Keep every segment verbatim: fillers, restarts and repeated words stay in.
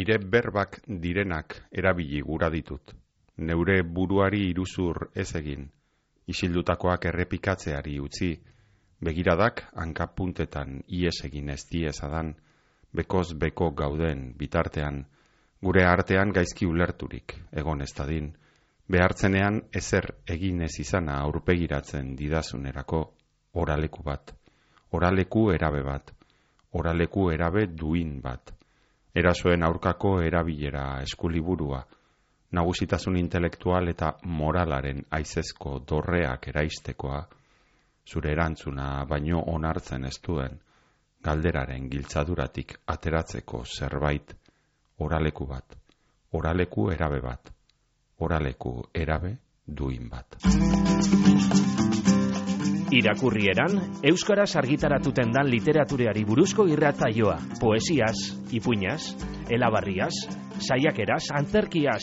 Nire berbak direnak erabili gura ditut. Neure buruari iruzur ez egin. Isildutakoak errepikatzeari utzi. Begiradak hankapuntetan ies egin ez diezadan. Bekoz beko gauden bitartean. Gure artean gaizki ulerturik egon ez dadin. Behartzenean ezer egin ez izana aurpegiratzen didasunerako. Oraleku bat. Oraleku erabe bat. Oraleku erabe duin bat. Erasoen aurkako erabilera eskuliburua, nagusitasun intelektual eta moralaren aizezko dorreak eraistekoa, zure erantzuna baino onartzen ez duen, galderaren giltzaduratik ateratzeko zerbait, oraleku bat, oraleku erabe bat, oraleku erabe duin bat. Irakurrieran, euskaraz argitaratuten dan literatureari buruzko irratsaioa, poesiaz, ipuinaz, elabarriaz, saiakeraz, antzerkiaz,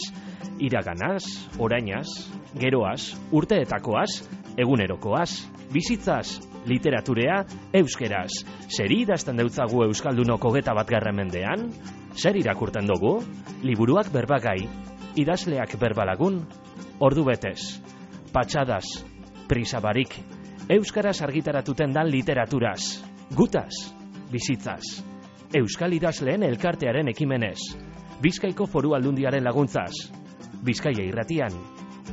iraganaz, orainaz, geroaz, urteetakoaz, egunerokoaz, bizitzaz, literaturea, euskeraz. Zer idazten deutzagu euskaldunok hogeta batgarren mendean? Zer irakurten dugu? Liburuak berbagai, idazleak berbalagun, ordu betez, patxadaz, prisabarik, euskaraz argitaratuten dan literaturaz, gutaz, bizitzaz, euskal idazleen elkartearen ekimenez, Bizkaiko Foru Aldundiaren laguntzaz, Bizkaia irratian,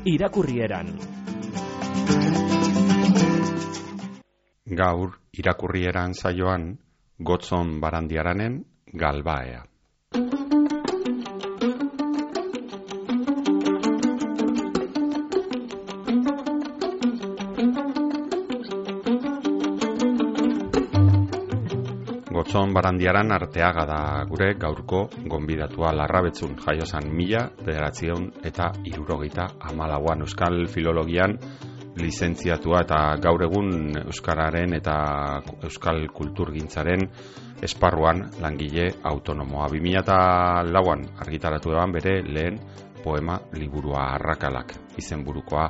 irakurrieran. Gaur, irakurrieran saioan, Gotzon Barandiaranen Galbaea. Gotzon Barandiaran Arteaga da gure gaurko gonbidatua. Larrabetzun jaiozan mila bederatziehun eta hirurogeita hamalauan euskal filologian lizentziatua eta gaur egun euskararen eta euskal kulturgintzaren esparruan langile autonomoa. bi mila lauan argitaratu eban bere lehen poema liburua Arrakalak izenburukoa.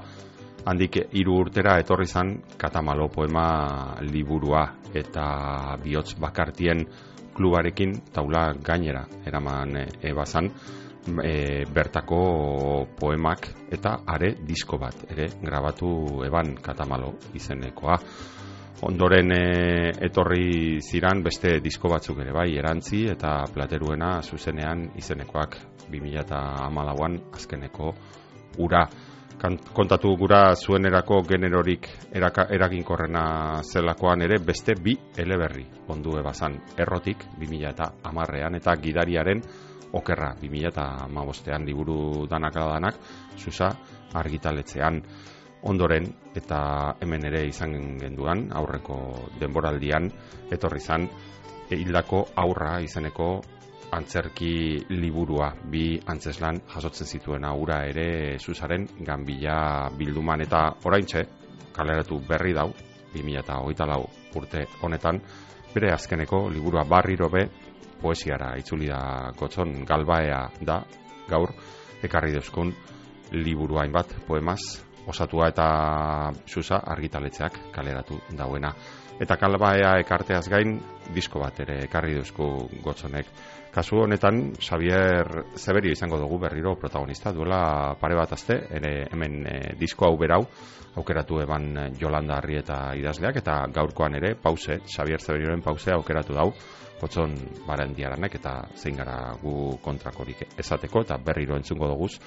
Handik hiru urtera etorri zan Katamalo poema liburua eta bihotz bakartien klubarekin taula gainera eraman ebazan e, bertako poemak eta are disko bat ere grabatu eban Katamalo izenekoa. Ondoren e, etorri ziran beste disko batzuk ere bai, Erantzi eta Plateruena zuzenean izenekoak bi mila hamalauan azkeneko ura. Kontatu gura zuenerako generorik eraka, eraginkorrena zelakoan ere beste bi eleberri ondu ebazan. Errotik bi mila hamarrean eta Gidariaren okerra bi mila hamabostean liburu danak danak Susa argitaletzean. Ondoren eta hemen ere izan genduan aurreko denboraldian etorri zan hildako aurra izeneko antzerki liburua, bi antzeslan jasotzen zituen aura ere Susaren Ganbila bilduman eta oraintxe kaleratu berri dau bi mila hogeita lau urte honetan bere azkeneko liburua Barriro be poesiara itzuli da Gotzon. Galbaea da gaur ekarri deuzkun liburua hainbat poemaz osatua eta Susa argitaletzeak kaleratu dauena. Eta Galbaea ekarteaz gain disko bat ere ekarri deuzku Gotzonek. Kasu honetan, Xavier Zeberio izango dugu berriro protagonista, duela pare bat aste, ere hemen e, disko hau berau, aukeratu eban Jolanda Arrieta idazleak, eta gaurkoan ere, pause, Xavier Zeberioren pause aukeratu dau, Gotzon Barandiaranek, eta zein gara gu kontrakorik esateko, eta berriro entzungo duguz,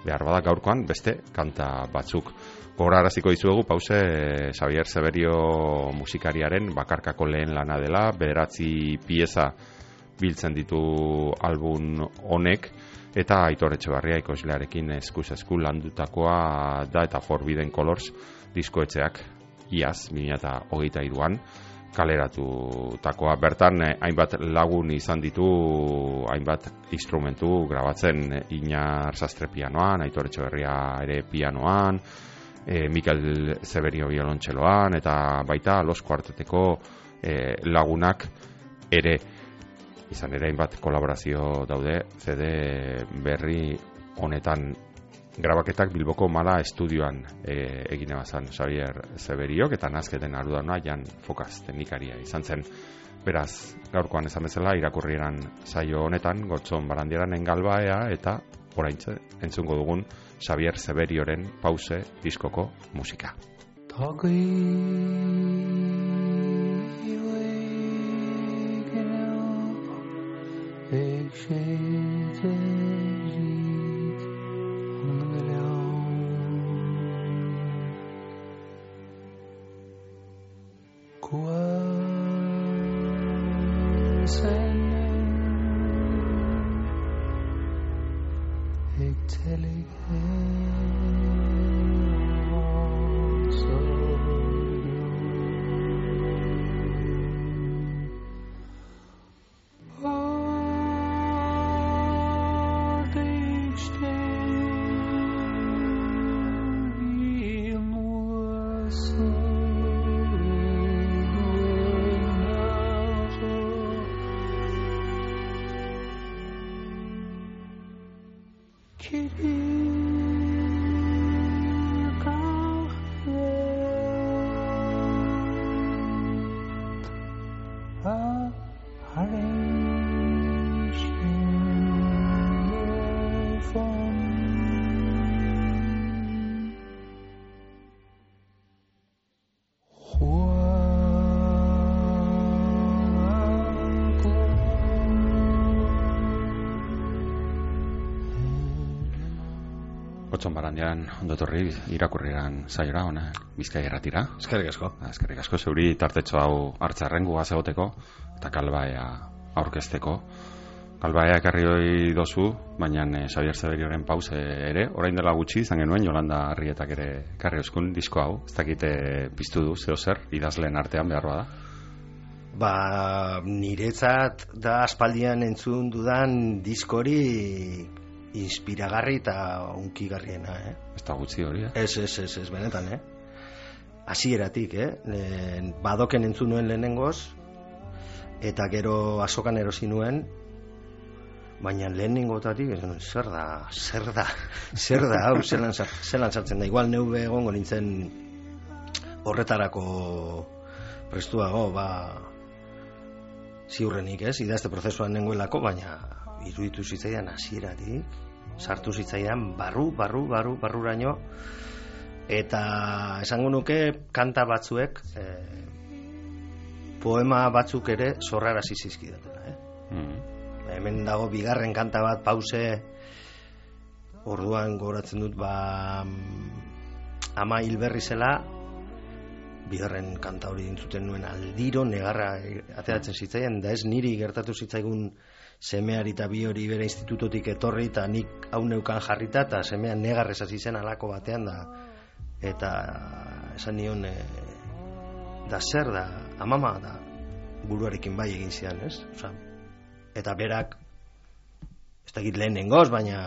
behar bada gaurkoan beste kanta batzuk. Gogoraraziko dizuegu pause Xavier Zeberio musikariaren bakarkako lehen lana dela, bederatzi pieza biltzen ditu album honek eta Aitor Etxebarria ekoizlearekin eskuz esku landutakoa da eta Forbidden Colors diskoetxeak iaz bi mila hogeita hiruan kaleratutakoa. Bertan hainbat lagun izan ditu hainbat instrumentu grabatzen, Iñar Sastre pianoan, Aitor Etxebarria ere pianoan, e, Mikel Zeberio biolontxeloan eta baita Los Kuarteteko e, lagunak ere. Izan ere hainbat kolaborazio daude C D berri honetan. Grabaketak Bilboko Mala estudioan e, egine bazan Xavier Zeberiok eta nazketen ardudana Jan Fokaz teknikaria izan zen. Beraz, gaurkoan esan bezala irakurrieran saio honetan Gotzon Barandiaran engalbaea eta oraintze entzungo dugun Xavier Zeberioren Pause diskoko musika. Gotzon Barandiaran ondotorri irakurrieran saiora ona Bizkaia Irratira. Eskerrik asko. Eskerrik asko zeuri tartetxo hau hartzarren gugaz egoteko eta kalbaea aurkezteko. Kalbaea ekarri hori dozu, baina eh, Xavier Zeberioren Pause ere, orain dela gutxi izan genuen Jolanda Arrietak ere ekarri euskun disko hau. Ez dakite piztu du zeo zer idazleen artean behar bada. Ba, niretzat da aspaldian entzun dudan diskori inspiragarri eta unkigarriena, eh? Ez da gutxi hori, eh? Ez, ez, ez, ez, benetan, eh? Hasieratik, eh? Lehen, badoken entzun nuen lehenengoz, eta gero azokan erosi nuen, baina lehenengotatik, zer da, zer da, zer da, hau, zelan, zelan sartzen da. Igual neube egongo nintzen horretarako prestuago, ba, ziurrenik, ez? Idazte prozesuan nengoelako, baina iruditu zitzaidan hasieratik, sartu zitzaidan barru, barru, barru, barruraino, eta esango nuke kanta batzuek, eh, poema batzuk ere zorrarazi zizkidatela, eh? Mm. Hemen dago bigarren kanta bat, Pause, orduan gogoratzen dut, ba, ama hilberri zela, bigarren kanta hori entzuten nuen aldiro negarra ateratzen zitzaidan, da ez niri gertatu zitzaigun semeari eta bi hori bere institutotik etorri eta nik hau neukan jarrita eta semean negarrez hasi zen alako batean da, eta esan nion e, da zer da, amama da buruarekin bai egin zidan, ez? Osa, eta berak ez dakit lehenengoz, baina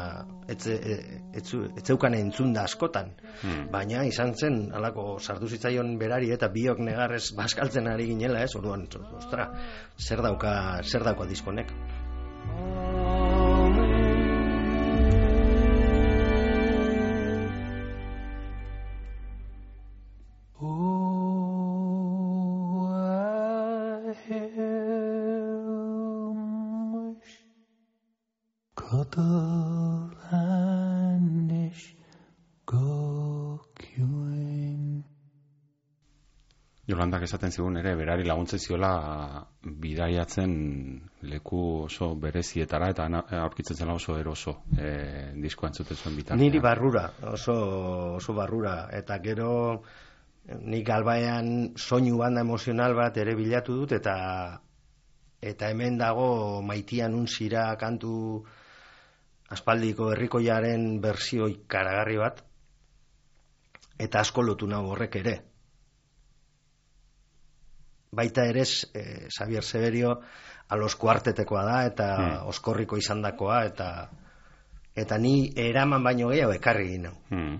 etzeukan entzun da askotan, hmm. baina izan zen alako sartu zitzaion berari eta biok negarrez bazkaltzen ari ginela, ez? Orduan, ostra, zer dauka, zer dauka diskonek. Jolandak esaten zigun ere, berari laguntzen ziola bidaiatzen leku oso berezietara eta aurkitzen zela oso eroso e, diskoa entzuten zuen bitartean. Niri barrura, oso, oso barrura, eta gero nik albaean soinu banda emozional bat ere bilatu dut, eta eta hemen dago Maitian unzira kantu aspaldiko herrikoiaren bersio ikaragarri bat, eta asko lotu nago horrek ere. Baita ere, eh, Xavier Zeberio alos kuartetekoa da, eta hmm. oskorriko izandakoa, eta eta ni eraman baino gehiago ekarri ginen. Hmm.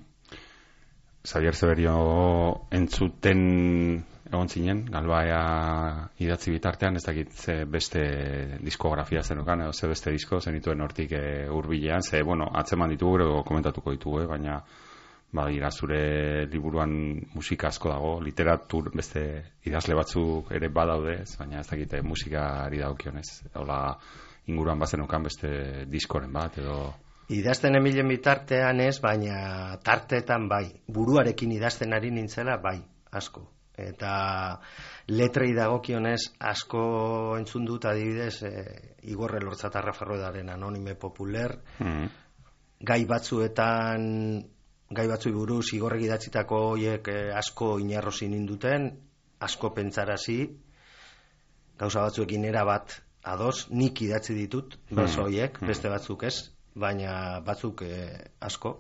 Xavier Zeberio entzuten egon zinen, Galbaia idatzi bitartean, ez dakit ze beste diskografia zenukan, edo ze beste disko zenituen hortik e, hurbilean, ze, bueno, atzeman ditugu, edo komentatuko ditugu, eh, baina badira zure liburuan musika asko dago, literatur beste idazle batzuk ere badaude, baina ez dakite musikari dagokionez. Hola, inguruan bazenukan beste diskoren bat, edo... Idazten emilen bitartean ez, baina tarteetan bai. Buruarekin idazten ari nintzela bai, asko. Eta letrei dagokionez asko entzun dut adibidez e, Igor Elortzatarra Ferroedaren Anonime Populer, mm. gai batzuetan... gai batzui buruz Igorrek idatzitako hoiek eh, asko inarrosi ninduten, asko pentsarazi, gauza batzuekin era bat ados, nik idatzi ditut, beso hoiek, beste batzuk ez, baina batzuk eh, asko.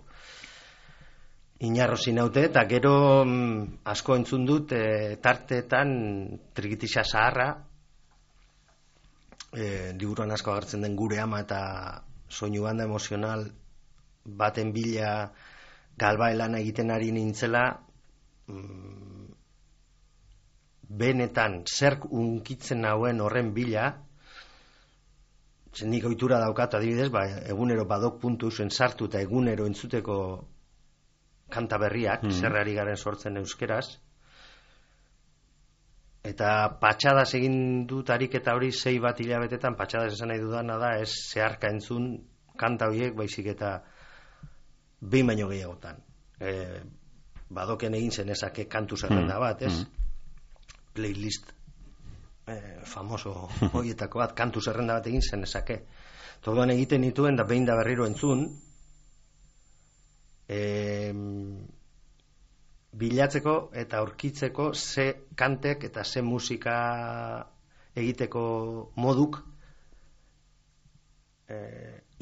Inarrosi naute, eta gero mm, asko entzun dut eh, tarteetan Trikitixa Zaharra, eh, liburuan asko agertzen den Gure Ama eta soinu banda emozional baten bila Galbae lana egiten ari nintzela, mm, benetan zerk unkitzen nauen horren bila, nik ohitura daukat adibidez, ba, egunero badok puntu zen sartu eta egunero entzuteko kanta berriak, mm. zerrari garen sortzen euskeraz, eta patxadas egin dut ariketa hori sei bat hilabetetan, patxadas esan nahi dudana da, ez zeharka entzun kanta horiek, baizik eta behin baino gehiagotan. E, badoken egin zenezake kantu zerrenda bat, ez? Mm. Playlist e, famoso horietako bat, kantu zerrenda bat egin zenezake. Torduan egiten nituen, da behin da berriro entzun, e, bilatzeko eta aurkitzeko ze kantek eta ze musika egiteko moduk e,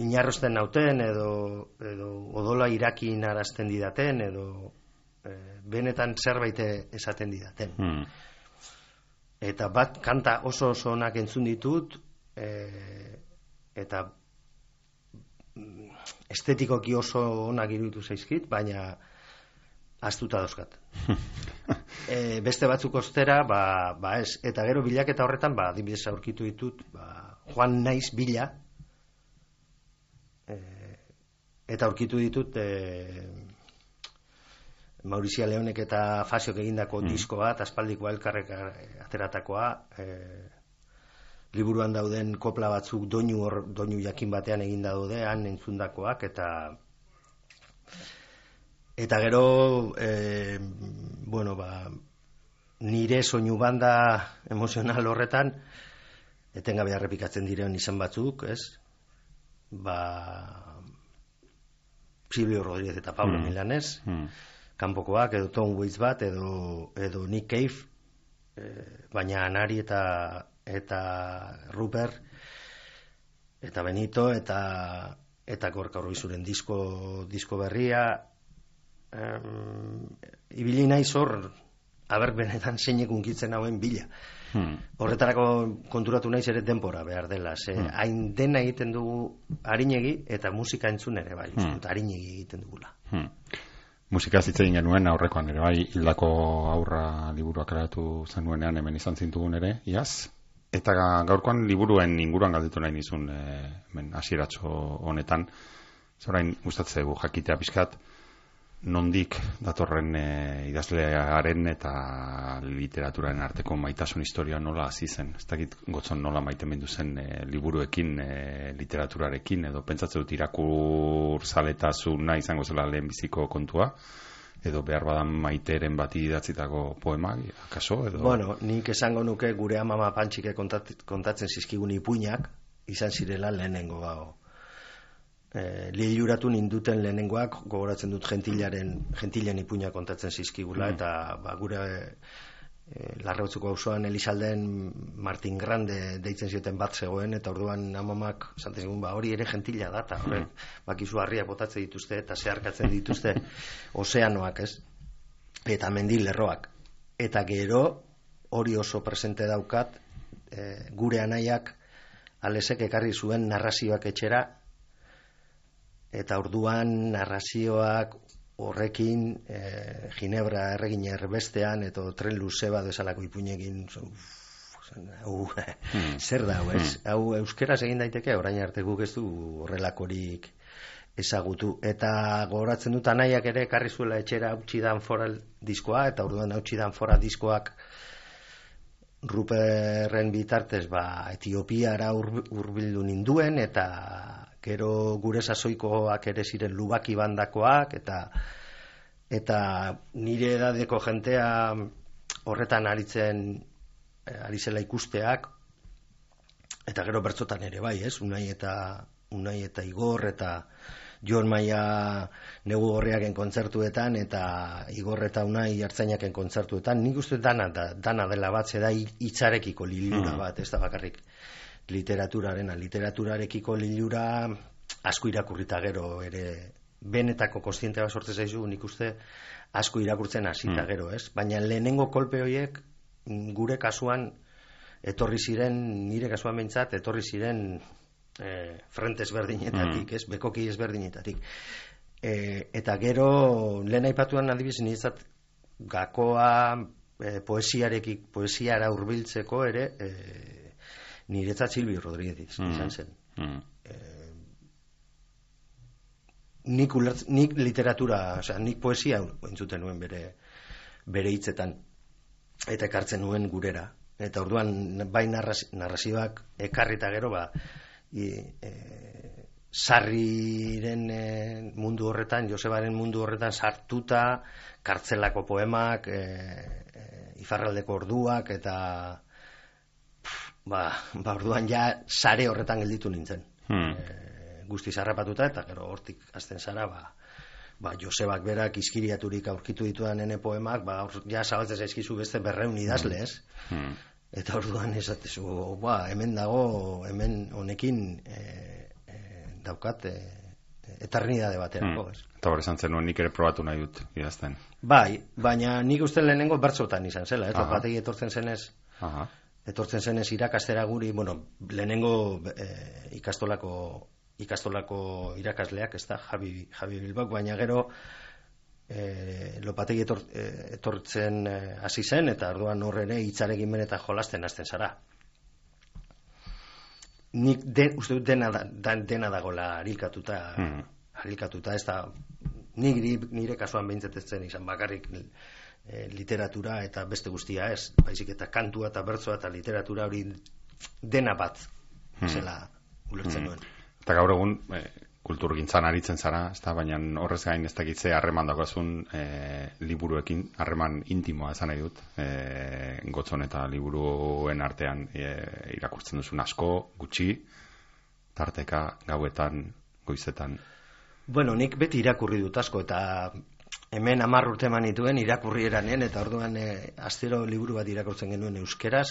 inarrosten nauten edo, edo odola irakin arazten didaten edo e, benetan zerbait esaten didaten. Mm. Eta bat kanta oso oso onak entzun ditut e, eta estetikoki oso onak iruditu zaizkit, baina astuta dauzkat. e, beste batzuk ostera, ba, ba ez. Eta gero bilaketa horretan, ba, adibidez aurkitu ditut, ba, Joan Naiz bila, eta aurkitu ditut e, Maurizia Leonek eta Fasiok egindako mm. disko bat, aspaldikoa elkarrek ateratakoa, e, liburuan dauden kopla batzuk doinu, or, doinu jakin batean egin daude, han entzundakoak, eta eta gero e, bueno, ba, nire soinu banda emozional horretan etengabe errepikatzen diren izan batzuk, ez? Ba Silvio Rodríguez eta Pablo mm. Milanés, mm. kanpokoak, edo Tom Waits bat, edo, edo Nick Cave, eh, baina Anari eta, eta Rupert, eta Benito, eta, eta Gorka Urbizuren disko, disko berria, um, ibili naiz hor, aber benetan zeinek unkitzen hauen bila. Hmm. Horretarako konturatu naiz ere denbora behar dela, ze hmm. hain dena egiten dugu arinegi eta musika entzun ere bai, hmm. arinegi egiten dugula. Hmm. Musika zitzen genuen aurrekoan ere bai, Hildako Aurra liburua karatu zenuenean hemen izan zintugun ere, iaz? Eta gaurkoan liburuen inguruan galditu nahi nizun e, hemen hasieratxo honetan, zorain gustatzegu jakitea pixkat, nondik datorren e, idazlearen eta literaturaren arteko maitasun historia nola hasi zen. Ez dakit gotzon nola maite mendu zen e, liburuekin, e, literaturarekin, edo pentsatzen dut irakur zaletasuna izango zela lehenbiziko kontua, edo behar badan maiteren bati idatzitako poema, akaso? Edo... Bueno, nik esango nuke gure amama pantxike kontat, kontatzen zizkigun ipuinak, izan zirela lehenengo gau. E, Liluratu ninduten lehenengoak, gogoratzen dut gentilaren, gentilen ipuina kontatzen zizkigula, mm. eta ba, gure e, Larrautzuko auzoan Elizalden Martin Grande deitzen zioten bat zegoen, eta orduan amamak esaten zigun, ba, hori ere gentila da, eta horrek mm. bakizu harriak botatzen dituzte, eta zeharkatzen dituzte ozeanoak, ez? Eta mendi lerroak. Eta gero, hori oso presente daukat, e, gure anaiak Alesek ekarri zuen narrazioak etxera, eta orduan narrazioak horrekin e, Ginebra erregina erbestean eta tren luze bat bezalako ipuinekin hau hmm. zer da hau ez? Hmm. Hau euskeraz egin daiteke, orain arte guk ez du horrelakorik ezagutu. Eta gogoratzen dut anaiak ere ekarri zuela etxera hautsi dan foral diskoa, eta orduan hautsi dan foral diskoak Ruperren bitartez ba, Etiopiara hurbildu ninduen, eta gero gure sasoikoak ere ziren Lubaki bandakoak, eta eta nire edadeko jentea horretan aritzen ari zela ikusteak, eta gero bertzotan ere bai, ez? Unai eta Unai eta Igor eta Jon Maia negu gorriaken kontzertuetan eta Igor eta Unai Artzainaken kontzertuetan, nik uste dana, da, dana dela bat, zeda hitzarekiko lilura bat, ez da bakarrik literaturarena, literaturarekiko lilura asko irakurrita gero ere benetako kontziente bat sortzen zaizu, nik uste asko irakurtzen hasita gero, ez? Baina lehenengo kolpe horiek gure kasuan etorri ziren, nire kasuan behintzat, etorri ziren E, frente ezberdinetatik, mm. ez, bekoki ezberdinetatik. E, eta gero, lehen aipatuan adibidez, niretzat gakoa e, poesiarekik, poesiara hurbiltzeko ere, e, niretzat Silvio Rodríguez mm. izan zen. Mm. E, nik, ulertz, nik literatura, osea, nik poesia entzuten nuen bere, bere hitzetan, eta ekartzen nuen gurera. Eta orduan, bai narrazioak ekarrita gero, ba, I, e, Sarriren e, mundu horretan, Josebaren mundu horretan sartuta, kartzelako poemak, e, e, Ifarraldeko orduak, eta pff, ba, ba orduan ja sare horretan gelditu nintzen. Hmm. E, guztiz harrapatuta, eta gero hortik hasten zara, ba, ba Josebak berak izkiriaturik aurkitu ditudan nene poemak, ba ja zabaltzen zaizkizu beste berreun idazle, ez? Hmm. Eta orduan esatezu, ba, hemen dago, hemen honekin e, e, daukat e, eternidade baterako. Hmm. Eta hori esan zen nuen nik ere probatu nahi dut idazten. Bai, baina nik uste lehenengo bertzotan izan zela, ez? Bategi etortzen zenez, Aha. etortzen zenez irakastera guri, bueno, lehenengo e, ikastolako ikastolako irakasleak, ez da, Javi, Javi Bilbao, baina gero E, lopategi etor, e, etortzen hasi e, zen, eta orduan hor ere hitzarekin ben eta jolasten hasten zara. Nik de, uste dut dena, da, dena dagoela harilkatuta, mm. harilkatuta, ez da, nik, nire kasuan behintzetetzen izan bakarrik e, literatura eta beste guztia ez, baizik eta kantua eta bertsoa eta literatura hori dena bat, mm. zela ulertzen nuen. Mm. Eta gaur egun, e, kulturgintzan aritzen zara, ez da, baina horrez gain ez dakitze harreman dagoazun e, liburuekin, harreman intimoa esan nahi dut, e, gotzon eta liburuen artean e, irakurtzen duzun asko, gutxi, tarteka, gauetan, goizetan. Bueno, nik beti irakurri dut asko, eta hemen hamar urte eman nituen irakurri eranen, eta orduan e, astero liburu bat irakurtzen genuen euskeraz,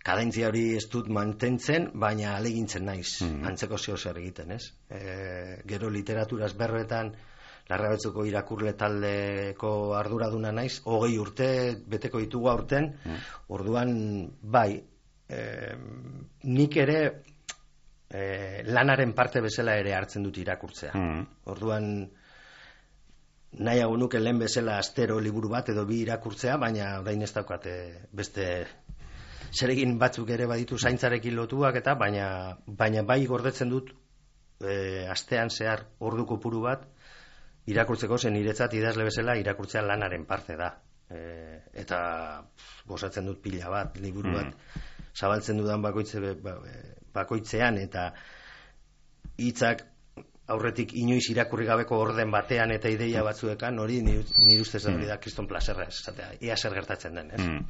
kadentzia hori ez dut mantentzen, baina alegintzen naiz, mm-hmm. antzeko zeo zer egiten, ez? E, gero literaturaz berroetan, Larrabetzuko irakurle taldeko arduraduna naiz, hogei urte, beteko ditugu aurten, mm. orduan, bai, e, nik ere e, lanaren parte bezala ere hartzen dut irakurtzea. Mm. Orduan, nahiago nuke lehen bezala astero liburu bat edo bi irakurtzea, baina orain ez daukate beste zeregin batzuk ere baditu zaintzarekin lotuak eta baina baina bai gordetzen dut e, astean zehar ordu kopuru bat irakurtzeko, zen niretzat idazle bezala irakurtzea lanaren parte da. E, eta gozatzen dut pila bat, liburu bat mm. zabaltzen dudan bakoitze, bakoitzean eta hitzak aurretik inoiz irakurri gabeko orden batean eta ideia batzuekan, hori nire ustez da hori da kriston plazerra, esatea, ia zer gertatzen den, ez? Mm.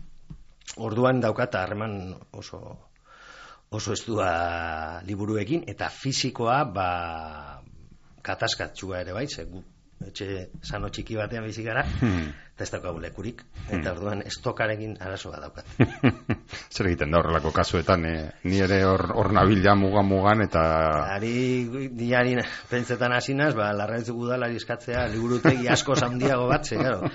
Orduan daukata harreman oso oso estua liburuekin eta fisikoa ba kataskatsua ere bai, ze gu etxe sano txiki batean bizi gara, hmm. eta ez daukagu lekurik, eta orduan estokarekin arazo bat daukat. Zer egiten da horrelako kasuetan, eh? Ni ere hor, hor nabila mugan mugan eta... Ari, diari pentsetan hasinaz, ba, Larrabetzuk udalari eskatzea liburutegi asko handiago bat, ze, claro,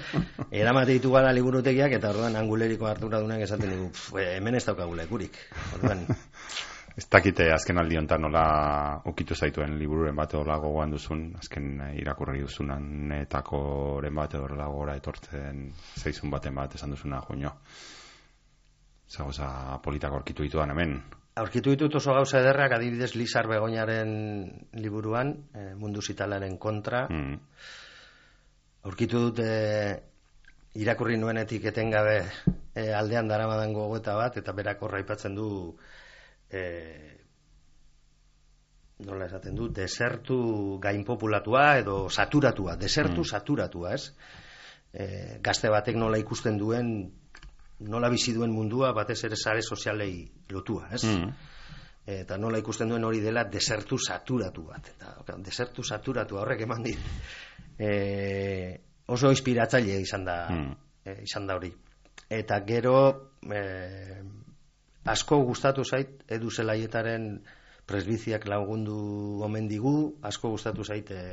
eramate ditu gara liburutegiak, eta orduan anguleriko arduradunak esaten dugu, hemen ez daukagu lekurik. Orduan... Ez dakite azken aldi honetan nola ukitu zaituen libururen bat edo gogoan duzun, azken irakurri duzunanetakoren bat edo gora etortzen zeizun baten bat esan duzuna, joño. Zagoza politak aurkitu dituan hemen. Aurkitu ditut oso gauza ederrak, adibidez Lizar Begoñaren liburuan, e, mundu zitalaren kontra. Mm. Aurkitu dut e, irakurri nuenetik etengabe e, aldean daramadan gogoeta bat, eta berak horra aipatzen du e, nola esaten du, desertu gainpopulatua edo saturatua, desertu mm. saturatua, ez? E, gazte batek nola ikusten duen, nola bizi duen mundua batez ere sare sozialei lotua, ez? Mm. Eta nola ikusten duen hori dela desertu saturatu bat. Eta desertu saturatu horrek eman dit. E, oso inspiratzaile izan da, mm. e, izan da hori. Eta gero e, asko gustatu zait Edu Zelaietaren presbiziak lagundu omen digu, asko gustatu zait e,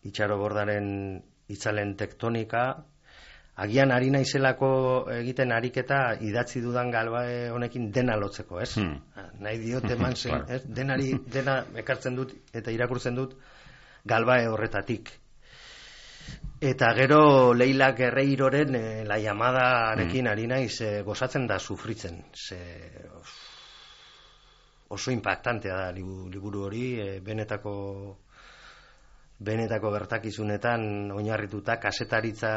Itxaro Bordaren itzalen tektonika. Agian ari naizelako egiten ariketa idatzi dudan Galbae honekin dena lotzeko, ez? Hmm. Nahi diot eman zen, claro. Ez? Denari, dena ekartzen dut eta irakurtzen dut Galbae horretatik. Eta gero Leila Guerreiroren e, La Llamadarekin hmm. ari naiz e, gozatzen da sufritzen. Ze, oso impactantea da liburu hori, e, benetako benetako gertakizunetan oinarrituta, kasetaritza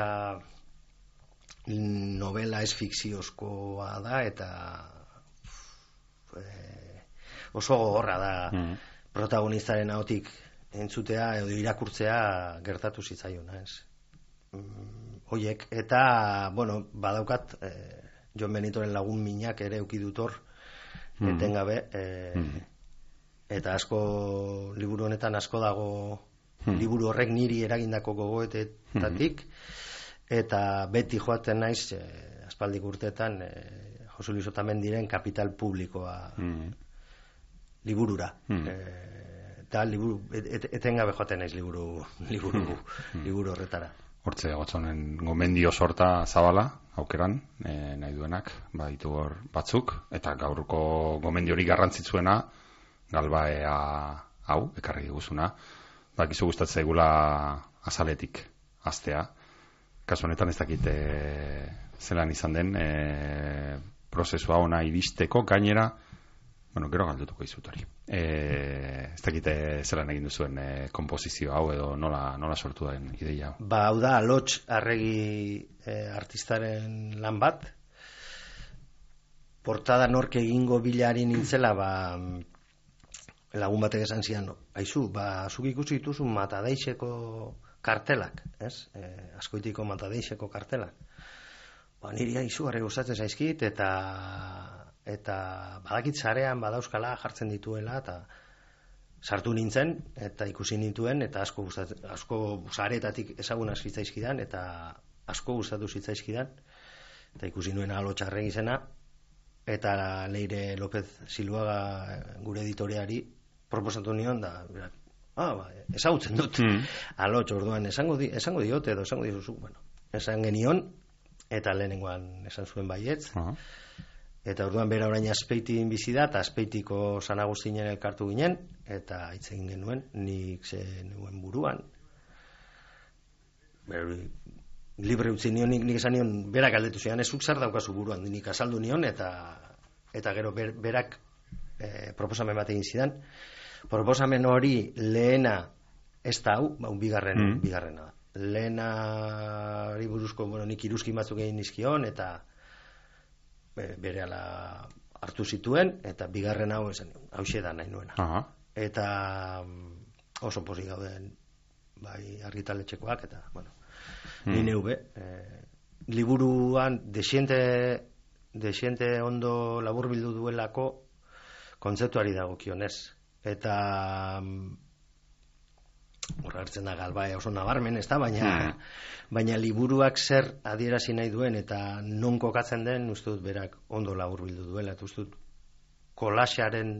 novela ez fikziozkoa da eta e, oso gogorra da mm. protagonistaren ahotik entzutea edo irakurtzea gertatu zitzaiona, ez? Mm, hoiek eta bueno, badaukat e, Jon Benitoren lagun minak ere eduki dut hor mm. etengabe e, mm. eta asko liburu honetan asko dago mm. liburu horrek niri eragindako gogoetetatik mm. Eta beti joaten naiz eh, aspaldik urteetan eh, Jose Luis Otamendiren Kapital Publikoa mm. liburura. Mm. Eh, eta liburu, et, etengabe joaten naiz liburu, liburu, mm. liburu horretara. Hortze gotzonen gomendio sorta zabala, aukeran, eh, nahi duenak, baditu hor batzuk, eta gaurko gomendiorik garrantzitsuena, Galbaea hau, ekarri diguzuna, bakizu gustatzen zaigula azaletik, astea. Kasu honetan ez dakit e, zelan izan den e, prozesua ona iristeko gainera, bueno, gero galdutuko izut hori. E, ez dakit zelan egin duzuen e, kompozizio hau edo nola, nola sortu den ideia hau. Ba, hau da, Alots Arregi e, artistaren lan bat. Portada nork egingo bilari nintzela, ba, lagun batek esan zian, aizu, ba, zuk ikusi dituzu Matadeixeko kartelak, ez? E, askoitiko Matadeixeko kartelak. Ba, niri izugarri gustatzen zaizkit eta eta badakit sarean badauzkala jartzen dituela eta sartu nintzen eta ikusi nituen eta asko gustatzen, asko sareetatik ezagunak zitzaizkidan eta asko gustatu zitzaizkidan eta ikusi nuen Alots Arregi izena eta Leire López Siluaga gure editoreari proposatu nion da Ah, ba, ezagutzen dut. Mm. Alots orduan esango di, esango diote edo esango dituzu, bueno, esan genion eta lehenengoan esan zuen baietz. Uh-huh. Eta orduan bera orain Azpeitin bizi da, eta Azpeitiko San Agustinen elkartu ginen eta hitz egin genuen, nik ze nuen buruan. Ber, libre utzi nion, nik, nik esan nion, berak galdetu zian, ezuk zer daukazu buruan, nik azaldu nion eta eta gero ber, berak eh, proposamen bat egin zidan. Proposamen hori lehena ez da hau, ba, bigarren, mm. bigarrena da. Lehena hori buruzko, bueno, nik iruzkin batzuk egin nizkion, eta be, bere ala hartu zituen, eta bigarren hau esan, hau da nahi nuena. Uh-huh. Eta oso pozik gauden, bai, argitaletxekoak, eta, bueno, mm. ni neube. Eh, liburuan, desiente, desiente ondo laburbildu duelako kontzeptuari dagokionez. Eta horra hartzen da Galbae oso nabarmen, ez da, baina, mm. baina liburuak zer adierazi nahi duen eta non kokatzen den, uste dut berak ondo laburbildu duela, eta uste dut kolaxearen,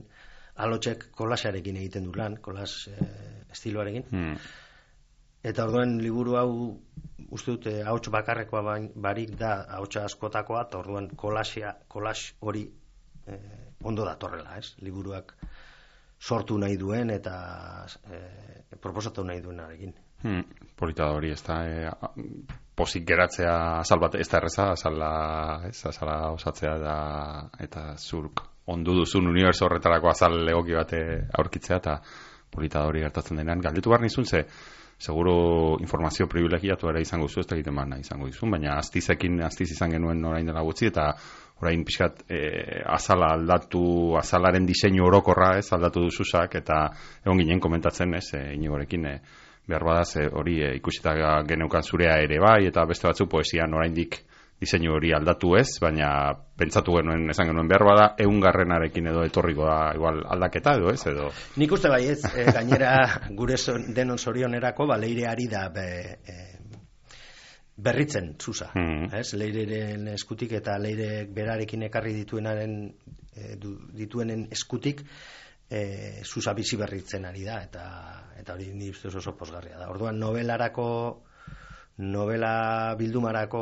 Alotsek kolaxearekin egiten du lan, kolas eh, estiloarekin. Mm. Eta orduan liburu hau uste dut eh, ahots bakarrekoa barik da ahotsa askotakoa, eta orduan kolaxea, kolax hori eh, ondo datorrela, ez? Liburuak sortu nahi duen eta eh, proposatu nahi duenarekin. Hmm, polita da hori, ez da, e, posik geratzea azal bat, ez da erreza, azala, ez, azala osatzea da, eta zurk ondu duzun uniberso horretarako azal egoki bate aurkitzea, eta polita da hori gertatzen denean. Galdetu behar nizun, ze, seguro informazio privilegiatu ere izango zu, ez da egiten baina izango dizun, baina aztizekin, aztiz izan genuen orain dela gutxi, eta orain pixkat e, azala aldatu, azalaren diseinu orokorra, ez, aldatu duzuzak, eta egon ginen komentatzen, ez, e, inigorekin, e, behar badaz, hori e, ikusita geneukan zurea ere bai, eta beste batzu poesian oraindik diseinu hori aldatu ez, baina pentsatu genuen, esan genuen behar bada, eungarrenarekin edo etorriko da igual aldaketa edo ez, edo... Nik uste bai ez, e, gainera gure son, denon zorionerako, ba, leireari da be, e, berritzen zuza, mm. ez? Leireren eskutik eta leirek berarekin ekarri dituenaren, e, du, dituenen eskutik, E, zuza bizi berritzen ari da eta eta hori ni ustez oso posgarria da. Orduan novelarako novela bildumarako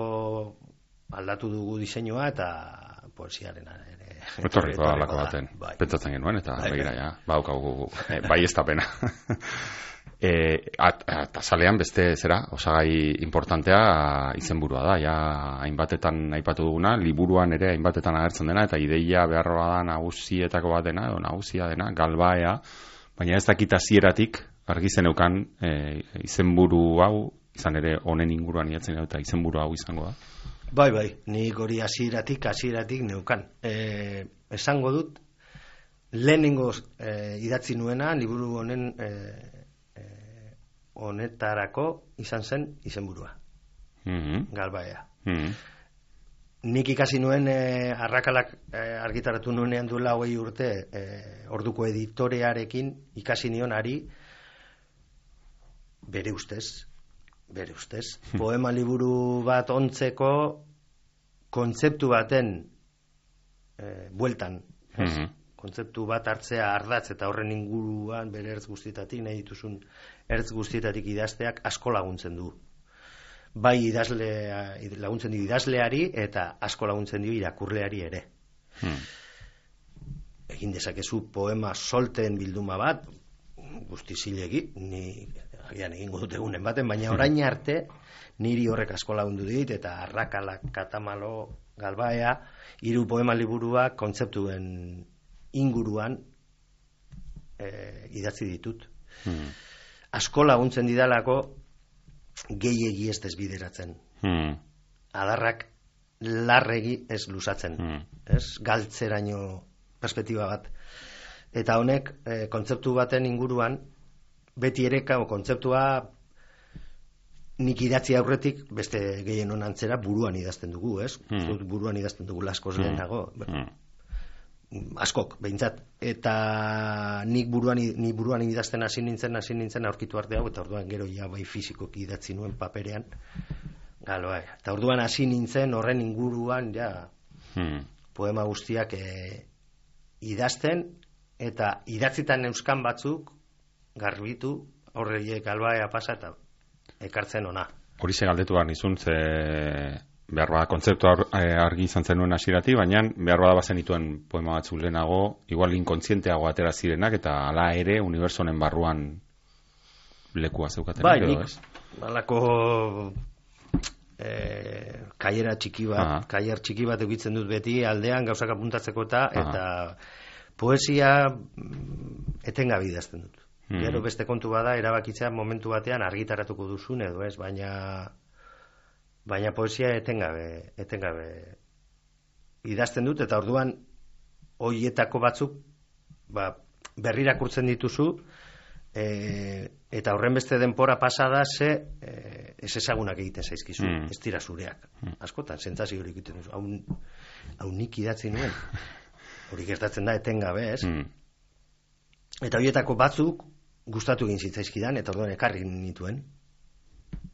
aldatu dugu diseinua eta poesiaren ere. Etorriko da lako baten. Bai. Pentsatzen genuen eta bai, begira ja, baukagu e, bai ez da pena. E, eta salean beste zera, osagai importantea izenburua da, ja hainbatetan aipatu duguna, liburuan ere hainbatetan agertzen dena, eta ideia beharroa da nagusietako bat dena, edo nagusia dena, galbaea, baina ez dakit hasieratik argi zeneukan e, izenburu hau, izan ere honen inguruan idatzen dut, eta izenburu hau izango da. Bai, bai, nik hori hasieratik, hasieratik neukan. E, esango dut, lehenengo e, idatzi nuena, liburu honen e, honetarako izan zen izenburua. Mm-hmm. Galbaea. Mm-hmm. Nik ikasi nuen e, arrakalak e, argitaratu nuenean duela hogei urte e, orduko editorearekin ikasi nion ari bere ustez, bere ustez, poema liburu bat ontzeko kontzeptu baten e, bueltan, mm-hmm. kontzeptu bat hartzea ardatz eta horren inguruan bere ertz guztietatik nahi dituzun ertz guztietatik idazteak asko laguntzen du. Bai idazlea, laguntzen dio idazleari eta asko laguntzen dio irakurleari ere. Hmm. Egin dezakezu poema solten bilduma bat, guzti zilegi, ni agian egingo dut egunen baten, baina orain arte niri horrek asko lagundu dit eta Arrakalak, Katamalo, Galbaea, hiru poema liburuak kontzeptuen inguruan e, idatzi ditut. Hmm. Asko laguntzen didalako gehiegi ez desbideratzen. Hmm. Adarrak larregi ez luzatzen. Hmm. Ez galtzeraino perspektiba bat. Eta honek e, kontzeptu baten inguruan beti ere kontzeptua nik idatzi aurretik beste gehien onantzera buruan idazten dugu, ez? Hmm. Buruan idazten dugu laskoz hmm. lehenago. Hmm. Askok, behintzat, eta nik buruan, ni buruan idazten hasi nintzen, hasi nintzen aurkitu arte hau, eta orduan gero ja bai fizikok idatzi nuen paperean, galo, bai. Eta orduan hasi nintzen horren inguruan, ja, hmm. poema guztiak e, idazten, eta idatzitan euskan batzuk, garbitu, horreiek galbaea pasa, eta ekartzen ona. Hori ze galdetu behar nizun, ze... behar bada kontzeptu argi izan zenuen hasiratik, baina behar bada bazen dituen poema batzuk lehenago, igual inkontzienteago atera zirenak, eta hala ere unibertsonen barruan lekua zeukaten. Bai, nik, balako e, kaiera txiki bat, Aha. kaier txiki bat egitzen dut beti, aldean gauzak apuntatzeko eta, Aha. eta poesia etengabe idazten dut. Mm. Gero beste kontu bada, erabakitzea momentu batean argitaratuko duzun edo ez, baina... Baina poesia etengabe, etengabe idazten dut, eta orduan hoietako batzuk ba, berrirakurtzen dituzu, e, eta horren beste denpora pasada ze e, ez ezagunak egiten zaizkizu, mm. ez dira zureak. Mm. Askotan, sentsazio hori egiten duzu. Hau, hau nik idatzi nuen. Hori gertatzen da etengabe, ez? Mm. Eta horietako batzuk gustatu egin zitzaizkidan, eta orduan ekarri nituen.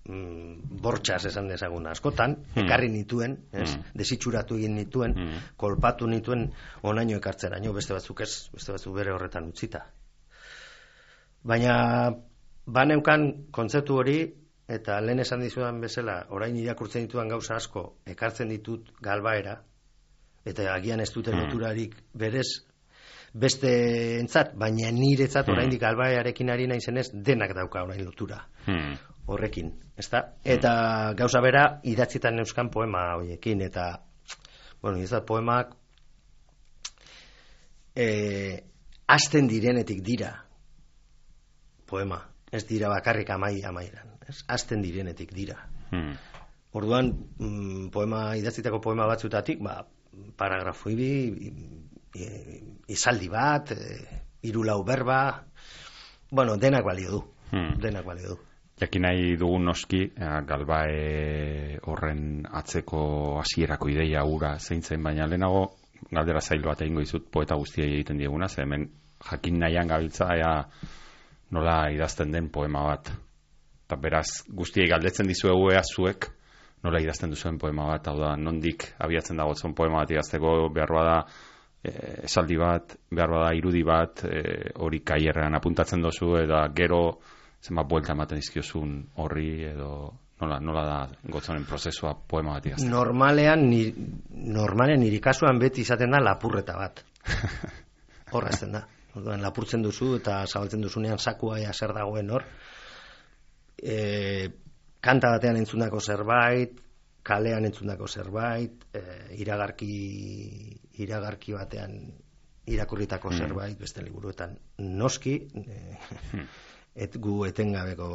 Mm, bortxaz esan dezagun askotan, hmm. ekarri nituen, ez? Hmm. Desitxuratu egin nituen, hmm. kolpatu nituen onaino ekartzeraino, beste batzuk ez, beste batzuk bere horretan utzita. Baina baneukan kontzeptu hori, eta lehen esan dizudan bezala, orain irakurtzen dituan gauza asko, ekartzen ditut galbaera, eta agian ez dute loturarik berez beste entzat, baina niretzat oraindik Albarearekin ari naizenez denak dauka orain lotura horrekin, ezta? Eta gauza bera idatzitan euskan poema hoiekin, eta bueno, ez da poemak eh, azten direnetik dira poema, ez dira bakarrik amai amairan, ez? Azten direnetik dira. Hmm. Orduan, mm, poema idatzitako poema batzutatik, ba, paragrafo ibi, izaldi bat, e, hiru lau berba, bueno, denak balio du, hmm. denak balio du. Jakin nahi dugun noski, Galbae horren atzeko hasierako ideia ura zein zen, baina lehenago galdera zail bat egingo dizut poeta guztiei egiten dieguna, ze hemen jakin nahian gabiltza ea nola idazten den poema bat. Eta beraz, guztiei galdetzen dizuegu ea zuek nola idazten duzuen poema bat, hau da, nondik abiatzen dagotzen poema bat idazteko, behar bada e, esaldi bat, behar bada irudi bat, e, hori kaierrean apuntatzen dozu, eta gero zenbat buelta ematen izkiozun horri, edo nola, nola da gotzonen prozesua poema bat idazteko. Normalean, ni, normalean niri kasuan beti izaten da lapurreta bat. Horra ezten da. Orduan, lapurtzen duzu eta zabaltzen duzunean sakua ea zer dagoen hor. E, kanta batean entzundako zerbait, kalean entzundako zerbait, e, iragarki, iragarki batean irakurritako mm. zerbait, beste liburuetan noski, e, mm. et gu etengabeko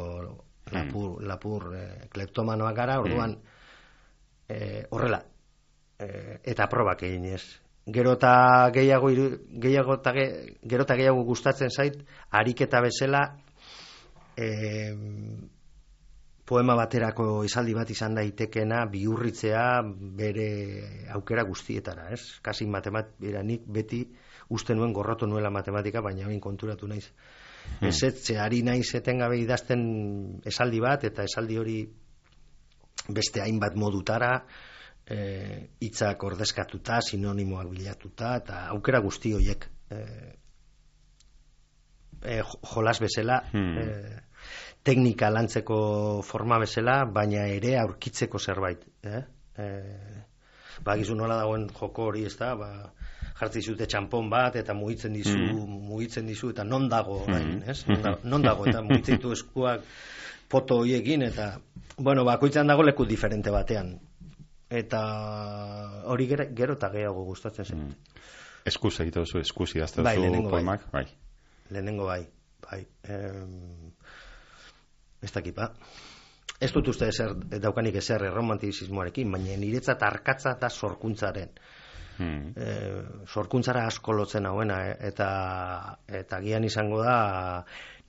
lapur, mm. lapur e, kleptomanoak gara, orduan mm. e, horrela, e, eta probak egin ez. Gero eta gehiago, gehiago, ta ge, gero eta gehiago gustatzen zait, ariketa bezala, e, poema baterako esaldi bat izan daitekena bihurritzea bere aukera guztietara, ez? Kasi matematika, nik beti uste nuen gorrotu nuela matematika, baina hain konturatu naiz. Hmm. Ezetze, ari naiz etengabe idazten esaldi bat, eta esaldi hori beste hainbat modutara, hitzak e, ordezkatuta, sinonimoak bilatuta, eta aukera guzti horiek e, e, jolas bezala, hmm. e, teknika lantzeko forma bezala, baina ere aurkitzeko zerbait. Eh? E, ba, gizu nola dagoen joko hori, ez da, ba, jartzi zute txampon bat, eta mugitzen dizu, mm. mugitzen dizu, eta non dago, orain, ez? Non, non dago, eta mugitzen ditu eskuak poto horiekin, eta, bueno, bakoitzan dago leku diferente batean. Eta hori gero, gero eta gehiago gustatzen zen. Mm. Eskuz egite duzu, eskuz idazten bai, duzu poemak? Bai. Lehenengo bai, bai. Em, ez dakipa. Ez dut uste ezer, daukanik ezer romantizismoarekin, baina niretzat arkatza eta sorkuntzaren. Hmm. E, sorkuntzara asko lotzen hauena, eta, eta gian izango da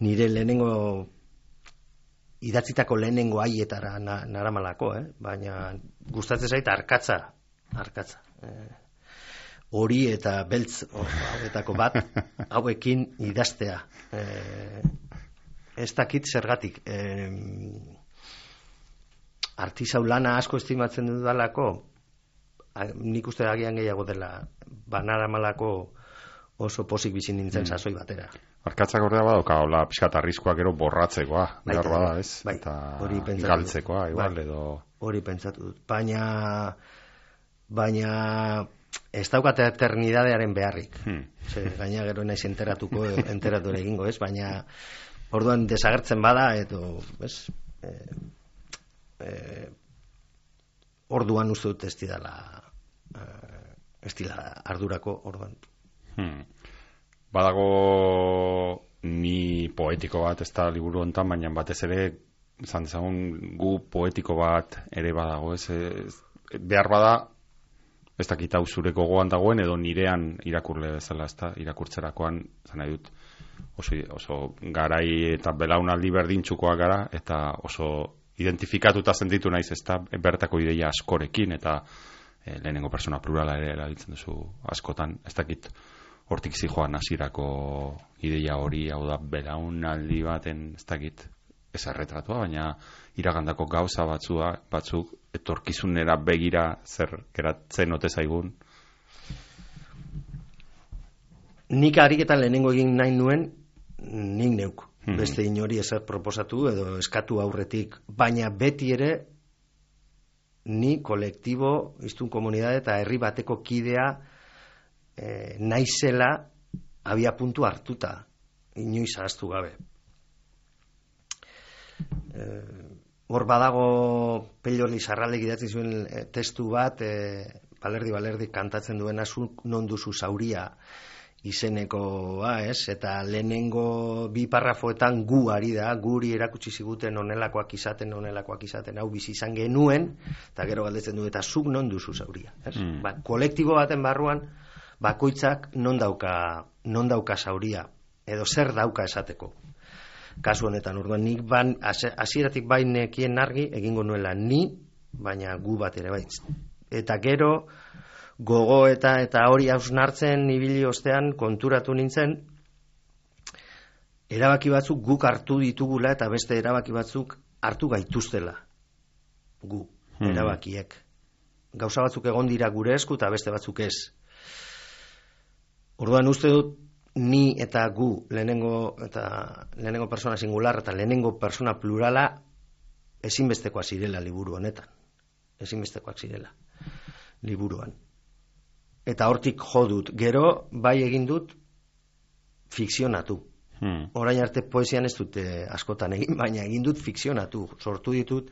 nire lehenengo idatzitako lehenengo haietara na, naramalako, eh? Baina gustatzen zait arkatza, arkatza. E, hori eta beltz hauetako bat, hauekin idaztea. E, ez dakit zergatik. E, artisau lana asko estimatzen dudalako, nik uste agian gehiago dela, banaramalako oso posik bizi nintzen mm. sasoi batera. Arkatzak ordea badoka, hola, pixkat arriskoa gero borratzekoa, behar bada, ez? Bai, eta galtzekoa, igual, bai, edo... Hori pentsatu dut. Baina, baina ez daukat eternidadearen beharrik. Hmm. Ze, gaina gero naiz enteratuko, enteratu ere egingo, ez? Baina, orduan desagertzen bada, edo, ez? E, e, orduan uste dut ez didala, ez didala ardurako, orduan. Hmm. Badago ni poetiko bat ez da liburu hontan, baina batez ere izan dezagun gu poetiko bat ere badago, ez, ez behar bada ez dakit hau zure gogoan dagoen edo nirean irakurle bezala, ez da, irakurtzerakoan zan nahi dut oso, oso garai eta belaunaldi berdintzukoa gara eta oso identifikatuta sentitu naiz, ez da, bertako ideia askorekin eta e, lehenengo persona plurala ere erabiltzen duzu askotan, ez dakit hortik zijoan hasierako ideia hori, hau da, belaunaldi baten, ez dakit, ez erretratua, baina iragandako gauza batzua, batzuk etorkizunera begira zer geratzen ote zaigun. Nik ariketan lehenengo egin nahi nuen, nik neuk. Mm-hmm. Beste inori ezer proposatu edo eskatu aurretik, baina beti ere ni kolektibo, iztun komunidade eta herri bateko kidea e, naizela abia puntu hartuta, inoiz ahaztu gabe. E, hor badago Pello Lizarraldek idatzi zuen e, testu bat, e, balerdi balerdi kantatzen duena, zuk non duzu zauria izenekoa, ez? Eta lehenengo bi parrafoetan gu ari da, guri erakutsi ziguten onelakoak izaten, onelakoak izaten, hau bizi izan genuen, eta gero galdetzen du, eta zuk non duzu zauria, ez? Mm. Ba, kolektibo baten barruan, bakoitzak non dauka, non dauka zauria, edo zer dauka esateko. Kasu honetan, orduan, nik ban, hasieratik bain nekien argi, egingo nuela ni, baina gu bat ere baitz. Eta gero, gogo eta eta hori hausnartzen ibili ostean konturatu nintzen, erabaki batzuk guk hartu ditugula eta beste erabaki batzuk hartu gaituztela. Gu, hmm. erabakiek. Gauza batzuk egon dira gure esku eta beste batzuk ez. Orduan uste dut ni eta gu lehenengo eta lehenengo persona singular eta lehenengo persona plurala ezinbestekoak zirela liburu honetan. Ezinbestekoak zirela liburuan. Eta hortik jo dut. Gero bai egin dut fikzionatu. Hmm. Orain arte poesian ez dute askotan egin, baina egin dut fikzionatu. Sortu ditut,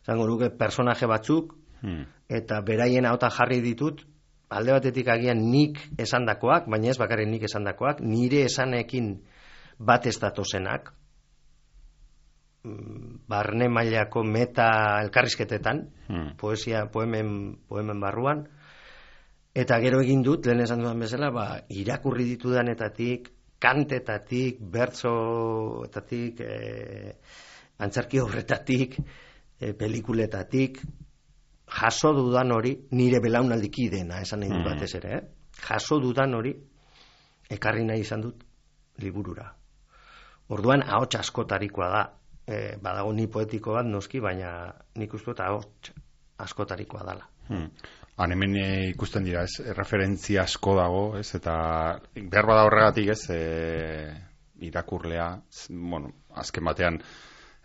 zango nuke, personaje batzuk, hmm. eta beraien ahotan jarri ditut, alde batetik agian nik esandakoak, baina ez bakarrik nik esandakoak, nire esanekin bat ez datozenak, barne mailako meta elkarrizketetan, hmm. poesia, poemen, poemen barruan, eta gero egin dut, lehen esan dudan bezala, ba, irakurri ditudanetatik, kantetatik, bertsoetatik, e, antzerki horretatik, e, pelikuletatik, jaso dudan hori, nire belaunaldiki dena, esan nahi dut Hmm. batez ere, eh? jaso dudan hori, ekarri nahi izan dut liburura. Orduan, ahots askotarikoa da. E, badago ni poetiko bat noski, baina nik uste eta ahots askotarikoa dala. Hmm. Han hemen e, ikusten dira, ez, referentzia asko dago, ez, eta behar bada horregatik, ez, e, irakurlea, z, bueno, azken batean,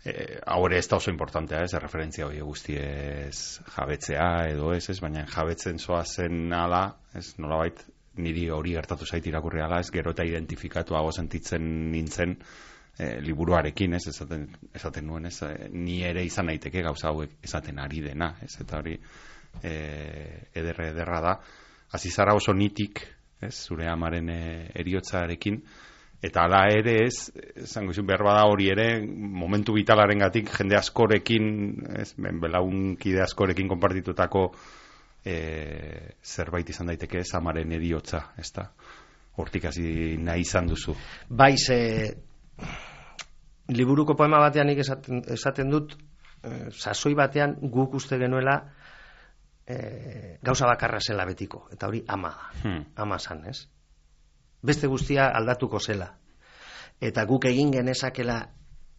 e, hau ere ez da oso importantea, ez, referentzia hori guztiez jabetzea edo ez, ez, baina jabetzen zoazen ala, ez, nolabait, niri hori gertatu zait irakurri ala, ez, gero eta identifikatuago sentitzen nintzen, E, liburuarekin, ez, esaten, esaten nuen, ez, e, ni ere izan naiteke gauza hauek esaten ari dena, ez, eta hori e, ederre ederra da. Hasi zara oso nitik, ez, zure amaren e, eriotzarekin, eta hala ere ez, zango izun behar bada hori ere, momentu vitalarengatik jende askorekin, ez, ben, belaunkide askorekin konpartitutako e, zerbait izan daiteke, ez, amaren eriotza, ez da, hortik hasi nahi izan duzu. Bai, ze liburuko poema batean nik esaten, esaten dut, e, sasoi batean guk uste genuela e, gauza bakarra zela betiko, eta hori ama da, hmm. ama zan, ez? Beste guztia aldatuko zela. Eta guk egin genezakela,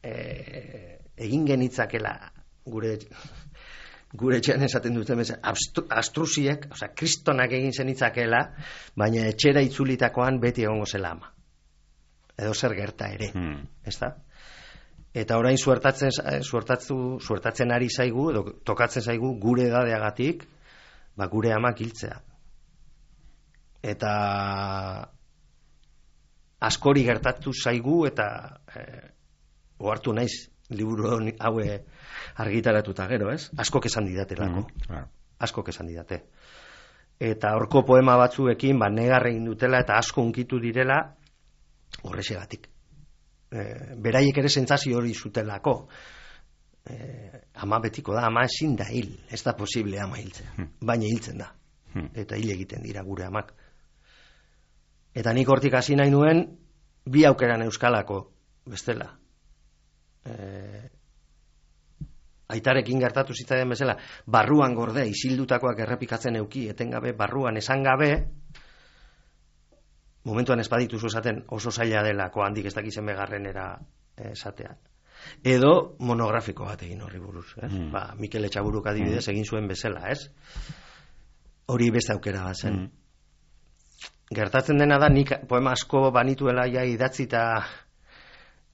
e, egin genitzakela gure gure etxean esaten duten bezala, astrusiek, osea, kristonak egin zenitzakela, baina etxera itzulitakoan beti egongo zela ama. Edo zer gerta ere, hmm. ezta? Eta orain suertatzen, suertatzu, suertatzen ari zaigu, edo tokatzen zaigu gure edadeagatik, ba gure amak hiltzea. Eta askori gertatu zaigu, eta e, ohartu naiz liburu haue argitaratuta gero, ez? Askok esan didatelako. Hmm. Claro. Askok esan didate. Eta horko poema batzuekin, ba negar egin dutela, eta asko hunkitu direla, horrexegatik. E, beraiek ere sentsazio hori zutelako. E, ama betiko da, ama ezin da hil. Ez da posible ama hiltzea. Hmm. Baina hiltzen da. Hmm. Eta hil egiten dira gure amak. Eta nik hortik hasi nahi nuen, bi aukeran euskalako bestela. E, aitarekin gertatu zitzaidan bezala, barruan gorde, isildutakoak errepikatzen euki, etengabe, barruan esan gabe, momentuan ez badituzu esaten oso zaila delako handik ez dakizen begarrenera esatea. Edo monografiko bat egin horri buruz. Ez? Mm. Ba, Mikel Etxaburuk adibidez mm. egin zuen bezala, ez? Hori beste aukera bat zen. Mm. Gertatzen dena da, nik poema asko banituela ja idatzita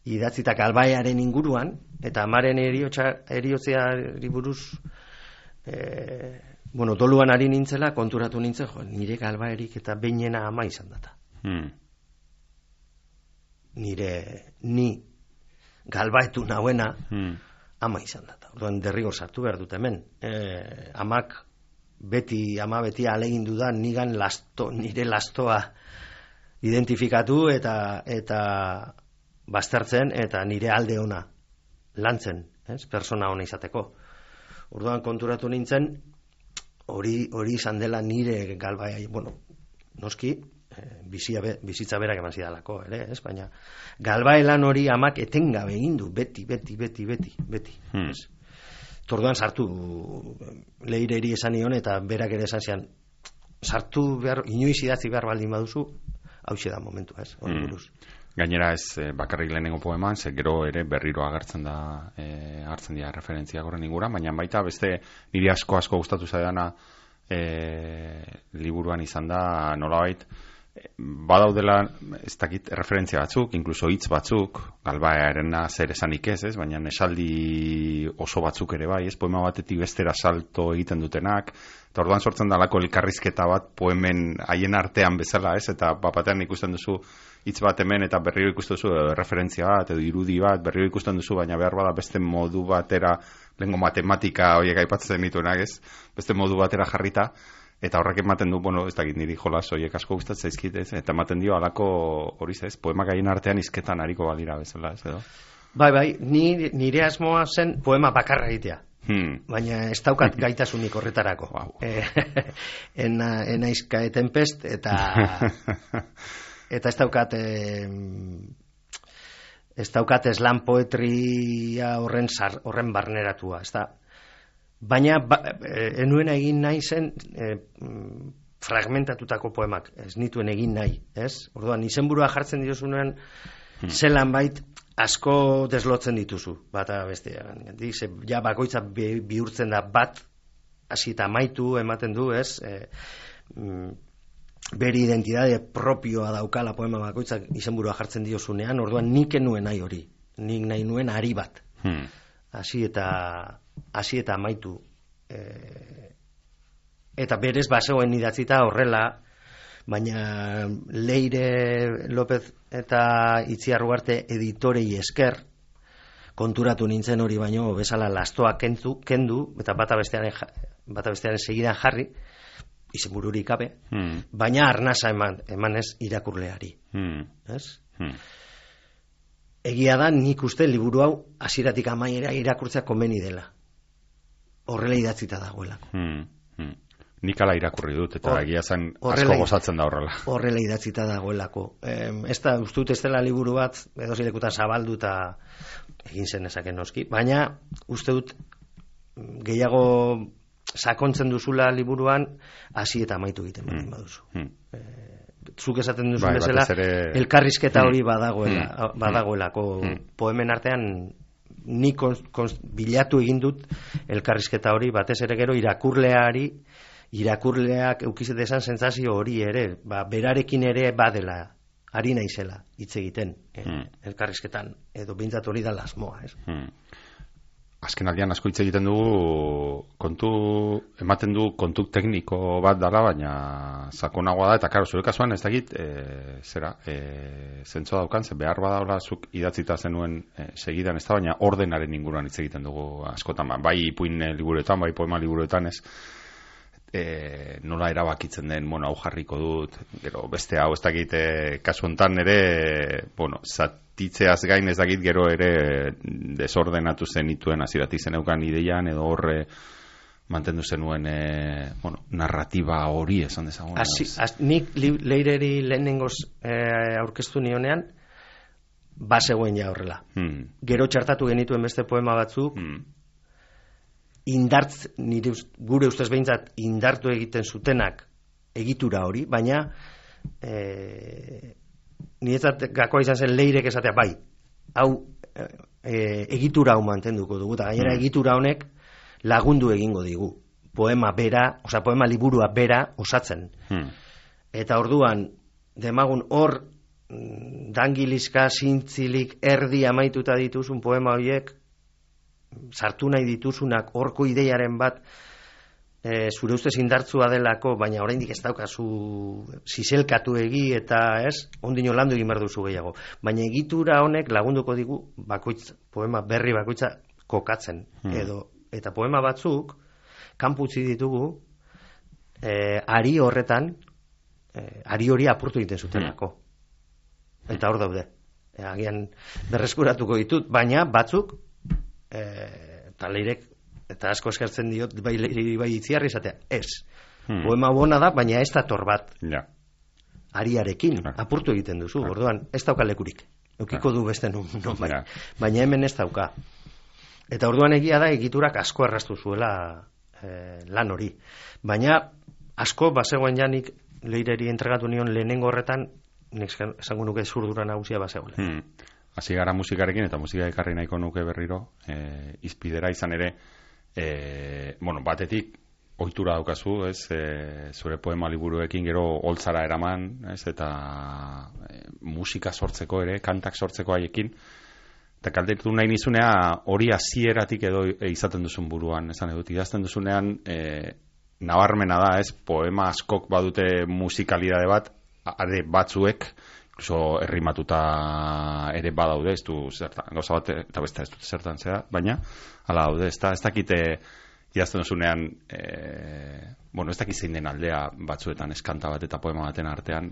idatzita kalbaiaren inguruan, eta amaren eriotzeari buruz e, bueno, doluan ari nintzela, konturatu nintzen, jo, nire galbaerik eta behinena ama izan data. Hmm. Nire, ni galbaetu nauena hmm. ama izan data. Orduan derrigor sartu behar dut hemen. E, amak beti, ama beti alegindu da nigan lasto, nire lastoa identifikatu eta eta baztertzen eta nire alde ona lantzen, ez? Persona ona izateko. Orduan konturatu nintzen hori hori izan dela nire galbaia, bueno, noski bizia be, bizitza berak eman zidalako, ere, ez? Baina galbaelan hori amak etengabe egin du, beti, beti, beti, beti, beti, hmm. ez? Torduan sartu leireri esan nion eta berak ere esan zian sartu behar, inoiz idatzi behar baldin baduzu, hauxe da momentua, ez? Hori buruz. Gainera ez eh, bakarrik lehenengo poeman, ze gero ere berriro agertzen da, eh, hartzen dira referentziak horren ingura, baina baita beste niri asko asko gustatu zaidana eh, liburuan izan da nolabait badaudela ez dakit referentzia batzuk, inkluso hitz batzuk, galbaearena zer esanik ez, ez, baina esaldi oso batzuk ere bai, ez, poema batetik bestera salto egiten dutenak, eta orduan sortzen dalako elkarrizketa bat poemen haien artean bezala, ez, eta bapatean ikusten duzu hitz bat hemen eta berriro ikusten duzu edo referentzia bat edo irudi bat, berriro ikusten duzu, baina behar bada beste modu batera, lehengo matematika horiek aipatzen dituenak, ez, beste modu batera jarrita, eta horrek ematen du, bueno, ez dakit niri jolas horiek asko gustatzen zaizkit, ez, eta ematen dio halako hori ez, poemak haien artean hizketan ariko badira bezala, ez edo? Bai, bai, ni, nire asmoa zen poema bakarra egitea. Hmm. Baina ez daukat gaitasunik horretarako. Wow. Eh, ena, enaizka etenpest, eta eta ez daukat eh, ez daukat slam poetria horren, zar, horren barneratua, ez da. Baina ba, enuena egin nahi zen e, fragmentatutako poemak, ez nituen egin nahi, ez? Orduan, izenburua jartzen diozunean, hmm. zelan bait asko deslotzen dituzu, bata bestean. Dice, ja bakoitza bi, bihurtzen da bat, hasi eta amaitu ematen du, ez? E, mm, bere identitate propioa daukala poema bakoitzak izenburua jartzen diozunean, orduan nik enuen nahi hori, nik nahi nuen ari bat. Hmm. Hasi eta hasi eta amaitu e, eta berez basegoen idatzita horrela, baina Leire López eta Itziar Ugarte editorei esker konturatu nintzen hori baino bezala lastoa kendu, kendu eta bata bestearen bata bestearen segidan jarri izenbururik gabe, hmm. baina arnasa eman emanez irakurleari, hmm. ez? Hmm. Egia da, nik uste liburu hau hasieratik amaiera irakurtzea komeni dela. Horrela idatzita dagoelako. Hmm, hmm. Nik ala irakurri dut, eta Or, egia zen horrela, asko gozatzen da horrela. Horrela idatzita dagoelako. Eh, ez da, uste dut ez dela liburu bat, edo zilekuta zabaldu eta egin zen ezaken noski, baina uste dut gehiago sakontzen duzula liburuan, hasi eta amaitu egiten badin baduzu. Hmm. Eh, zuk esaten duzu bai, bezala, ere... elkarrizketa hori badagoela, mm. badagoelako mm. poemen artean ni kon, kon, bilatu egin dut elkarrizketa hori, batez ere gero irakurleari, irakurleak eukizet esan sentsazio hori ere, ba, berarekin ere badela, ari naizela hitz egiten eh, mm. elkarrizketan, edo behintzat hori da lasmoa, ez? Mm. Azken aldian asko hitz egiten dugu kontu, ematen du kontu tekniko bat dala, baina sakonagoa da, eta karo, zure kasuan ez dakit, e, zera, e, zentzo daukan, ze behar badaula zuk idatzita zenuen e, segidan ez da, baina ordenaren inguruan hitz egiten dugu askotan, bai ipuin liburuetan, bai poema liburuetan ez, e, nola erabakitzen den, bueno, hau jarriko dut, gero beste hau ez dakit, e, kasu hontan ere, bueno, zatitzeaz gain ez dakit gero ere desordenatu zenituen hasieratik zeneukan ideian edo horre mantendu zenuen e, bueno, narratiba hori esan dezagun. Asi, az, nik li, Leireri lehenengoz e, aurkeztu nionean bazegoen ja horrela. Hmm. Gero txartatu genituen beste poema batzuk, hmm. indartz, nire, gure ustez behintzat indartu egiten zutenak egitura hori, baina e, niretzat gakoa izan zen Leirek esatea, bai, hau e, egitura hau mantenduko dugu, eta gainera egitura honek lagundu egingo digu. Poema bera, osea poema liburua bera osatzen. Hmm. Eta orduan, demagun hor dangilizka, zintzilik, erdi amaituta dituzun poema horiek, sartu nahi dituzunak horko ideiaren bat e, zure ustez indartzua delako, baina oraindik ez daukazu zizelkatu egi eta ez, ondino landu egin behar duzu gehiago. Baina egitura honek lagunduko digu bakoitz, poema berri bakoitza kokatzen. Hmm. Edo, eta poema batzuk, kanpo utzi ditugu, e, ari horretan, e, ari hori apurtu egiten zutenako. Hmm. Eta hor daude. E, agian berreskuratuko ditut, baina batzuk, e, eta leirek, eta asko eskertzen diot, bai, bai itziarri izatea, ez. Hmm. Poema bona da, baina ez dator bat. Ja. Ariarekin, ja. Apurtu egiten duzu, ja. Orduan, ez dauka lekurik. Eukiko ja. Du beste nun, no, bai. Ja. Baina hemen ez dauka. Eta orduan egia da, egiturak asko erraztu zuela eh, lan hori. Baina, asko, bazegoen janik, leireri entregatu nion lehenengo horretan, nik esango nuke zurdura nagusia bazegoela. Hmm. Hasi gara musikarekin, eta musika ekarri nahiko nuke berriro, eh, izpidera izan ere, E, bueno, batetik ohitura daukazu, ez, e, zure poema liburuekin gero holtzara eraman, ez, eta e, musika sortzeko ere, kantak sortzeko haiekin, eta kaltetu nahi nizunea hori hasieratik edo e, izaten duzun buruan, esan edut, idazten duzunean e, nabarmena da, ez, poema askok badute musikalidade bat, are batzuek, incluso errimatuta ere badaude, ez du zertan, gauza bat, eta beste ez dut zertan zera, baina, hala daude, ez, ez dakite idazten duzunean, e, bueno, ez dakit zein den aldea batzuetan eskanta bat eta poema baten artean,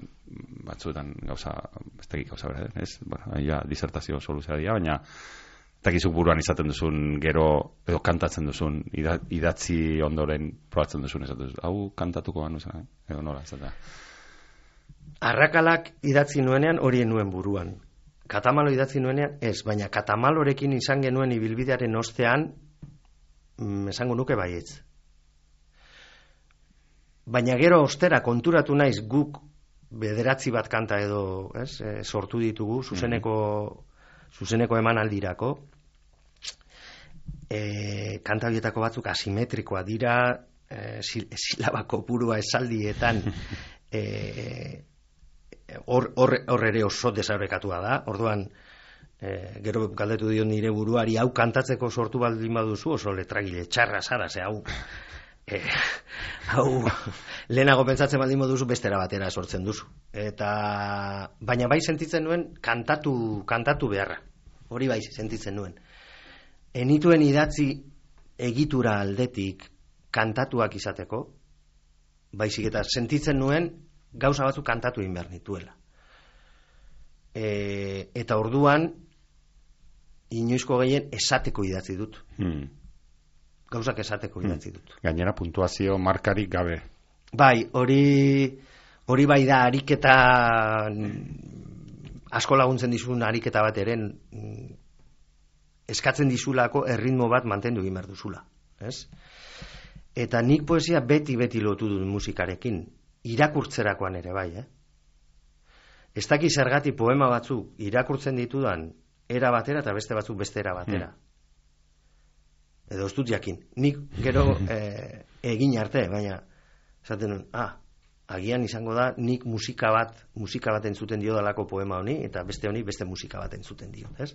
batzuetan gauza, ez dakit gauza bera, ez, bueno, ja, disertazio soluzioa dira, baina, ez dakizuk buruan izaten duzun gero, edo kantatzen duzun, idatzi ondoren probatzen duzun, ez dut, hau kantatuko banu zen, edo nola, ez da. Arrakalak idatzi nuenean hori nuen buruan. Katamalo idatzi nuenean ez, baina katamalorekin izan genuen ibilbidearen ostean, mm, esango nuke baietz. Baina gero ostera konturatu naiz guk bederatzi bat kanta edo, ez, e, sortu ditugu zuzeneko, zuzeneko emanaldirako. E, kanta horietako batzuk asimetrikoa dira, e, silaba kopurua esaldietan, e, Hor, hor, hor ere oso desaurekatua da. Orduan, e, gero galdetu dio nire buruari, hau kantatzeko sortu baldin baduzu, oso letragile txarra zara, ze hau, e, hau lehenago pentsatzen baldin baduzu, bestera batera sortzen duzu. Eta, baina bai sentitzen nuen kantatu, kantatu beharra. Hori bai sentitzen nuen. Enituen idatzi egitura aldetik kantatuak izateko, baizik eta sentitzen nuen gauza batzuk kantatu egin behar nituela. E, eta orduan, inoizko gehien esateko idatzi dut. Hmm. Gauzak esateko idatzi dut. Hmm. Gainera puntuazio markarik gabe. Bai, hori hori bai da ariketa asko laguntzen dizun ariketa bat eren eskatzen dizulako erritmo bat mantendu egin behar duzula. Ez? Eta nik poesia beti-beti lotu dut musikarekin. Irakurtzerakoan ere bai, eh? Ez daki zergatik poema batzuk irakurtzen ditudan era batera eta beste batzuk beste era batera. Hmm. Edo ez dut jakin. Nik gero eh, egin arte, baina esaten nuen, ah, agian izango da nik musika bat, musika bat entzuten dio dalako poema honi, eta beste honi beste musika bat entzuten dio, ez?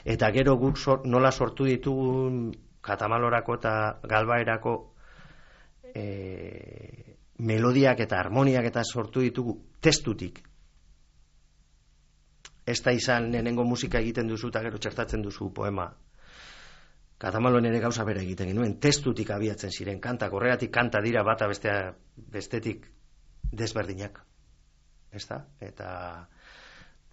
Eta gero guk sor, nola sortu ditugun Katamalorako eta Galbaerako eh, melodiak eta harmoniak eta sortu ditugu testutik. Ez da izan nenengo musika egiten duzu eta gero txertatzen duzu poema. Katamaloen ere gauza bera egiten genuen, testutik abiatzen ziren kantak, horregatik kanta dira bata bestea, bestetik desberdinak. Ez da? Eta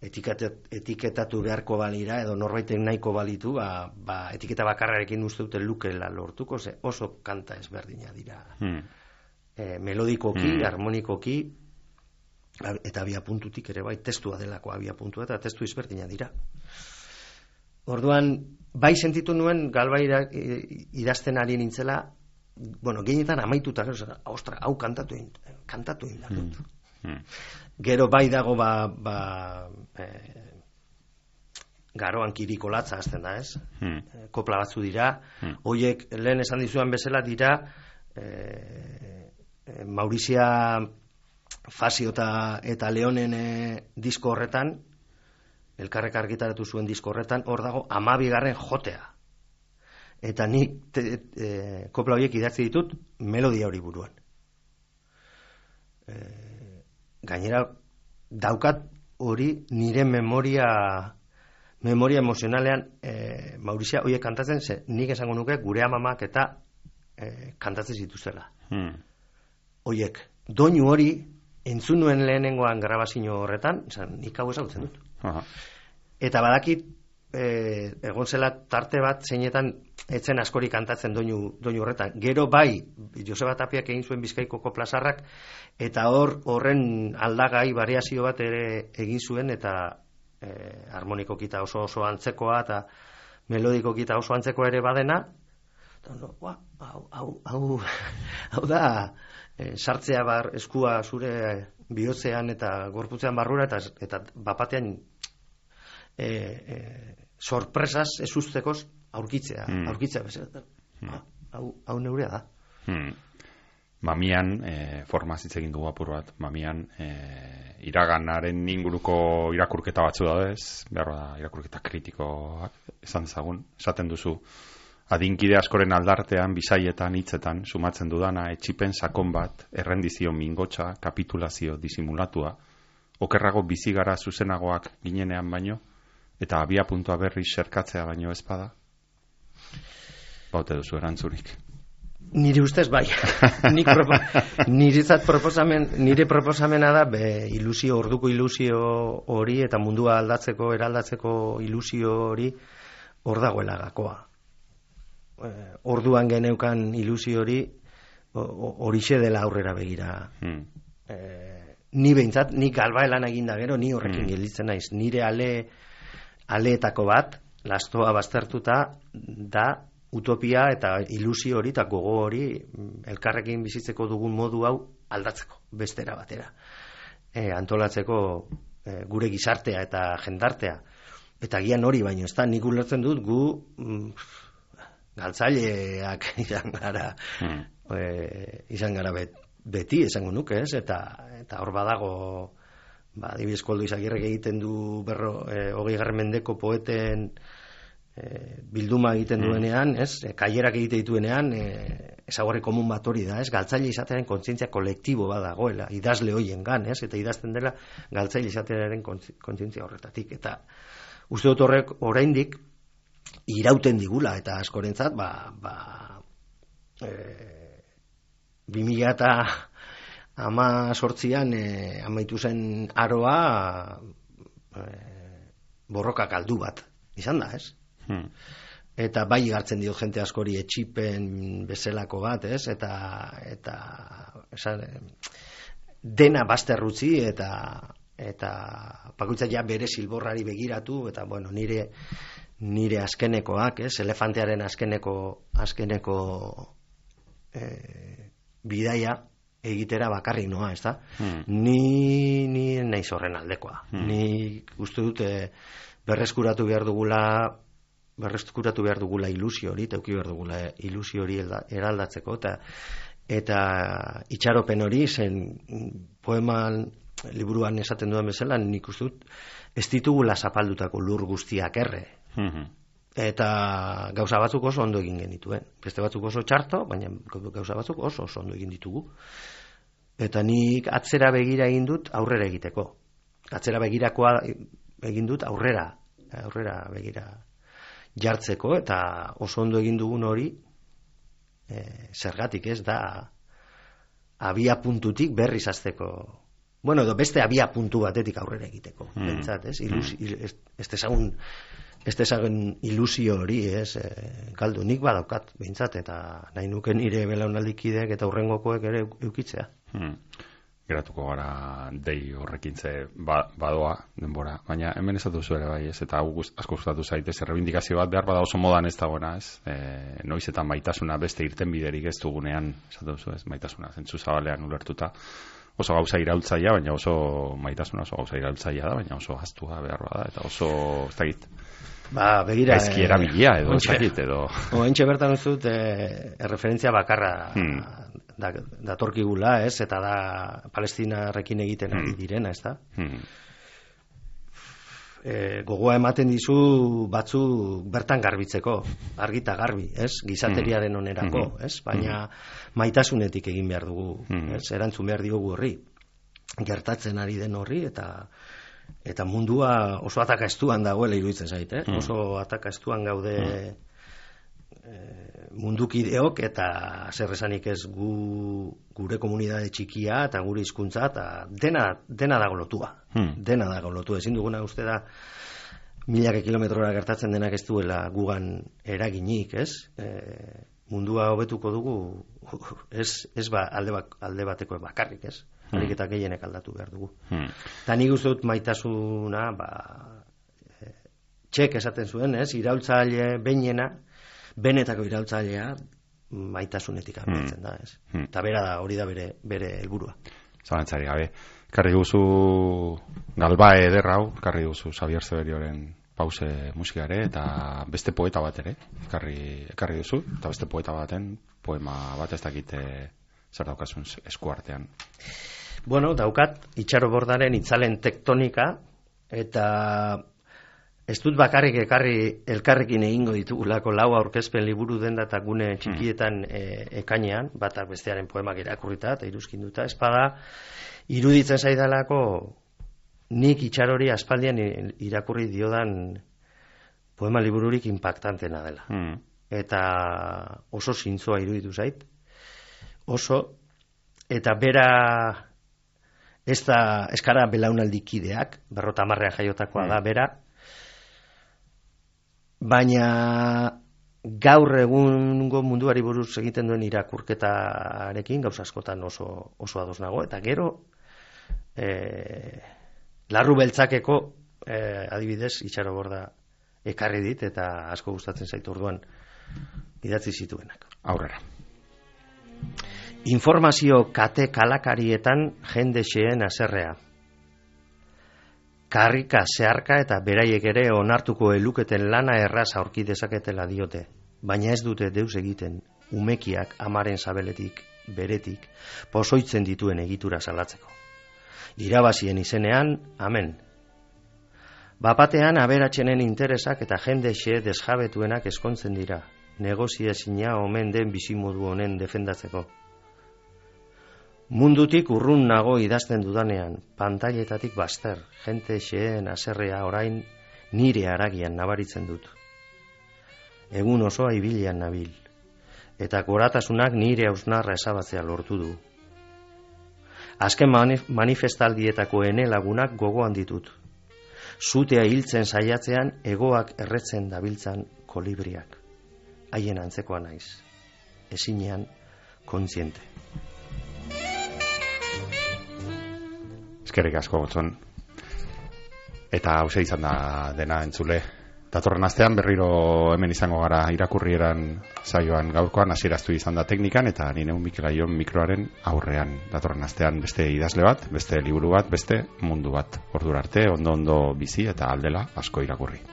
etiketat, etiketatu beharko balira edo norbaiten nahiko balitu, ba, ba, etiketa bakarrarekin uste dute lukela lortuko, ze oso kanta ezberdina dira. Hmm. E, melodikoki, mm. harmonikoki eta abia puntutik ere bai, testua delako abia puntua eta testu izberdina dira. Orduan, bai sentitu nuen Galbaira idazten ari nintzela, bueno, gehienetan amaituta, gero, ostra, hau kantatu egin, kantatu egin dut. Mm. Gero bai dago ba, ba e, garoan kiriko latza azten da, ez? Mm. E, kopla batzu dira, mm. Hoiek lehen esan dizuan bezala dira, e, Maurizia Fasio eta, eta Leonen e, disko horretan, elkarrek argitaratu zuen disko horretan, hor dago hamabigarren jotea. eta nik te, e, kopla horiek idatzi ditut melodia hori buruan. E, gainera daukat hori nire memoria memoria emozionalean e, Maurizia horiek kantatzen, ze nik esango nuke gure amamak eta e, kantatzen zituztela. Hmm. Horiek, doinu hori entzun nuen lehenengoan grabazio horretan, zan, nik hau ezagutzen dut. Aha. Eta badakit e, egon zela tarte bat zeinetan etzen askori kantatzen doinu, doinu horretan. Gero bai, Joseba Tapiak egin zuen Bizkaiko plazarrak, eta hor horren aldagai variazio bat ere egin zuen, eta Eh, harmonikokita oso oso antzekoa eta melodikokita oso antzekoa ere badena, no, hau, hau, hau, hau da eh, sartzea bar eskua zure bihotzean eta gorputzean barrura eta, eta bapatean eh, eh, sorpresaz ezuztekoz aurkitzea, mm. aurkitzea bezala. Mm. Hau, hau neurea da. Mm. Mamian, e, formaz hitz egin dugu apur bat, mamian, e, iraganaren inguruko irakurketa batzu daudez, behar da irakurketa kritikoak, esan dezagun, esaten duzu, adinkide askoren aldartean, bisaietan, hitzetan, sumatzen dudana, etxipen sakon bat, errendizio mingotxa, kapitulazio disimulatua, okerrago bizigara zuzenagoak ginenean baino, eta abia puntua berri serkatzea baino ezpada? Baute duzu erantzurik. Nire ustez bai. Nik propo, niretzat proposamen, nire proposamena da be, ilusio, orduko ilusio hori eta mundua aldatzeko, eraldatzeko ilusio hori hor dagoela gakoa. E, orduan geneukan ilusio hori horixe dela aurrera begira. Hmm. E, ni behintzat, nik albaelan eginda gero, ni horrekin hmm. gelditzen naiz. Nire ale, aleetako bat, lastoa baztertuta da utopia eta ilusio hori eta gogo hori elkarrekin bizitzeko dugun modu hau aldatzeko, bestera batera. E, antolatzeko e, gure gizartea eta jendartea. Eta gian hori baino, ez da, nik ulertzen dut gu mm, galtzaileak izan gara, hmm. e, izan gara bet, beti, esango nuke, ez? Eta, eta hor badago, ba, adibidez Koldo Izagirrek egiten du berro, e, hogei garren mendeko poeten E, bilduma egiten duenean, ez? E, kaierak egite dituenean, e, ezaugarri komun bat hori da, ez? Galtzaile izatearen kontzientzia kolektibo badagoela, idazle hoien gan, ez? Eta idazten dela galtzaile izatearen kontzientzia horretatik. Eta uste dut horrek oraindik irauten digula, eta askorentzat, ba, ba, e, bi mila eta ama sortzian e, amaitu zen aroa e, borroka galdu bat izan da, ez? Hmm. Eta bai hartzen dio jente askori etxipen bezalako bat, ez? Eta, eta esan, dena bazterrutzi eta eta bakoitza ja bere silborrari begiratu eta bueno, nire nire azkenekoak, ez? Elefantearen azkeneko azkeneko eh, bidaia egitera bakarrik noa, ez da? Hmm. Ni ni naiz horren aldekoa. Hmm. Ni uste dut eh, berreskuratu behar dugula berreskuratu behar dugula ilusio hori, teuki behar dugula ilusio hori eraldatzeko, eta eta itxaropen hori, zen poeman liburuan esaten duen bezala, nik uste dut, ez ditugula zapaldutako lur guztiak erre. Mm-hmm. Eta gauza batzuk oso ondo egin genituen. Beste batzuk oso txarto, baina gauza batzuk oso oso ondo egin ditugu. Eta nik atzera begira egin dut aurrera egiteko. Atzera begirakoa egin dut aurrera, aurrera begira jartzeko, eta oso ondo egin dugun hori e, zergatik ez da abia puntutik berriz hasteko, bueno, edo beste abia puntu batetik aurrera egiteko, mm. bentsat, ez? Ilusi, mm. ez, ez dezagun ez dezagun ilusio hori, ez? E, galdu nik badaukat, bentsat, eta nahi nuke nire belaunaldikideek eta hurrengokoek ere eukitzea. Mm. Geratuko gara dei horrekintze ba, badoa denbora, baina hemen esatu zu ere bai, ez? Eta hau asko gustatu zaitez, errebindikazio bat behar bada oso modan ez dagoena, ez? E, noiz eta maitasuna beste irten biderik ez dugunean, esatu zu, ez? Maitasuna zentzu zabalean ulertuta, oso gauza iraultzaia, baina oso maitasuna oso gauza iraultzaia da, baina oso hastua behar bada, eta oso, ez dakit, ba, begira, gaizki erabilia edo, ez dakit, edo. Oentxe bertan ez dut, e, erreferentzia bakarra hmm. Da, datorkigula, ez, eta da Palestinarrekin egiten ari direna, ez da? Hmm. e, gogoa ematen dizu batzu bertan garbitzeko, argita garbi, ez? Gizateriaren onerako, ez? Baina maitasunetik egin behar dugu, ez? Erantzun behar diogu horri, gertatzen ari den horri, eta eta mundua oso ataka estuan dagoela iruditzen zait, eh? Oso ataka estuan gaude mundukideok, eta zer esanik ez gu, gure komunitate txikia eta gure hizkuntza eta dena, dena dago lotua. Hmm. Dena dago lotua. Ezin duguna uste da milaka kilometrora gertatzen denak ez duela gugan eraginik, ez? E, mundua hobetuko dugu ez, ez ba, alde, bak, alde bateko bakarrik, ez? Hmm. Harik eta gehienek aldatu behar dugu. Hmm. Eta nik uste dut maitasuna, ba, e, txek esaten zuen, ez? Iraultzaile behinena, benetako iraultzailea maitasunetik abiatzen da, ez? Hmm. Eta bera da, hori da bere, bere helburua. Zalantzari gabe. Karri duzu galbae ederra hau, karri duzu Xabier Zeberioren pause musikare, eta beste poeta bat ere, karri, karri duzu, eta beste poeta baten poema bat ez dakite zer daukasun eskuartean. Bueno, daukat, Itxaro Bordaren itzalen tektonika, eta ez dut bakarrik ekarri elkarrekin egingo ditugulako lau aurkezpen liburu denda eta gune txikietan e, ekainean, batak bestearen poemak irakurrita eta iruzkinduta, espada iruditzen zaidalako nik Itxarori aspaldian irakurri diodan poema libururik impactantena dela. Mm. Eta oso zintzoa iruditu zait, oso, eta bera ez da eskara belaunaldikideak, berrota hamarrean jaiotakoa mm. da, bera, baina gaur egungo munduari buruz egiten duen irakurketarekin gauza askotan oso, oso ados nago, eta gero e, larru beltzakeko e, adibidez Itxaro Borda ekarri dit eta asko gustatzen zaitu orduan idatzi zituenak. Aurrera. Informazio kate kalakarietan jende xeen haserrea. Karrika, zeharka eta beraiek ere onartuko eluketen lana erraz aurki dezaketela diote, baina ez dute deus egiten umekiak amaren sabeletik, beretik, pozoitzen dituen egitura salatzeko. Irabazien izenean, amen. Bapatean aberatsenen interesak eta jende xe desjabetuenak eskontzen dira, negoziazina omen den bizimodu honen defendatzeko. Mundutik urrun nago idazten dudanean, pantailetatik baster, jente xeen haserrea orain nire haragian nabaritzen dut. Egun osoa ibilian nabil, eta goratasunak nire hausnarra esabatzea lortu du. Azken manif- manifestaldietako ene lagunak gogoan ditut. Zutea hiltzen saiatzean egoak erretzen dabiltzan kolibriak. Haien antzekoa naiz, ezinean kontziente. Eskerrik asko gotzon. Eta hauze izan da dena entzule. Datorren astean berriro hemen izango gara irakurrieran saioan gaurkoan hasieraztu izan da teknikan eta ni neu Mikel Aion mikroaren aurrean. Datorren astean beste idazle bat, beste liburu bat, beste mundu bat. Ordura arte ondo ondo bizi eta aldela asko irakurri.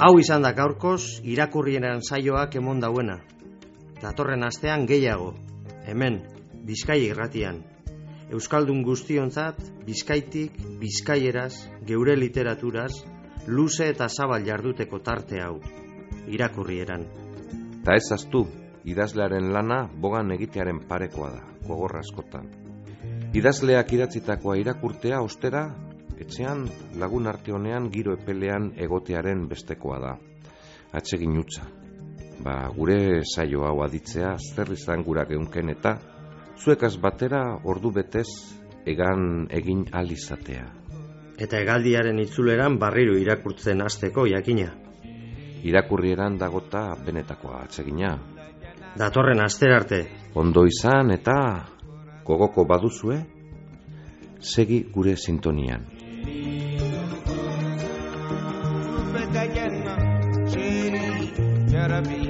Hau izan da gaurkoz irakurrieran saioak emon dauena. Datorren astean gehiago, hemen, Bizkaia irratian. Euskaldun guztiontzat, Bizkaitik, Bizkaieraz, geure literaturaz, luze eta zabal jarduteko tarte hau, irakurrieran. Ta ez aztu, idazlearen lana bogan egitearen parekoa da, gogorra askotan. Idazleak idatzitakoa irakurtea ostera, etxean lagun arte honean giro epelean egotearen bestekoa da. Atsegin utza. Ba, gure saio hau aditzea zer izan gura geunken eta zuekaz batera ordu betez egan egin alizatea. Eta hegaldiaren itzuleran barriro irakurtzen hasteko jakina. Irakurrieran dagota benetakoa atsegina. Datorren astera arte. Ondo izan eta gogoko baduzue, segi gure sintonian. Rabbi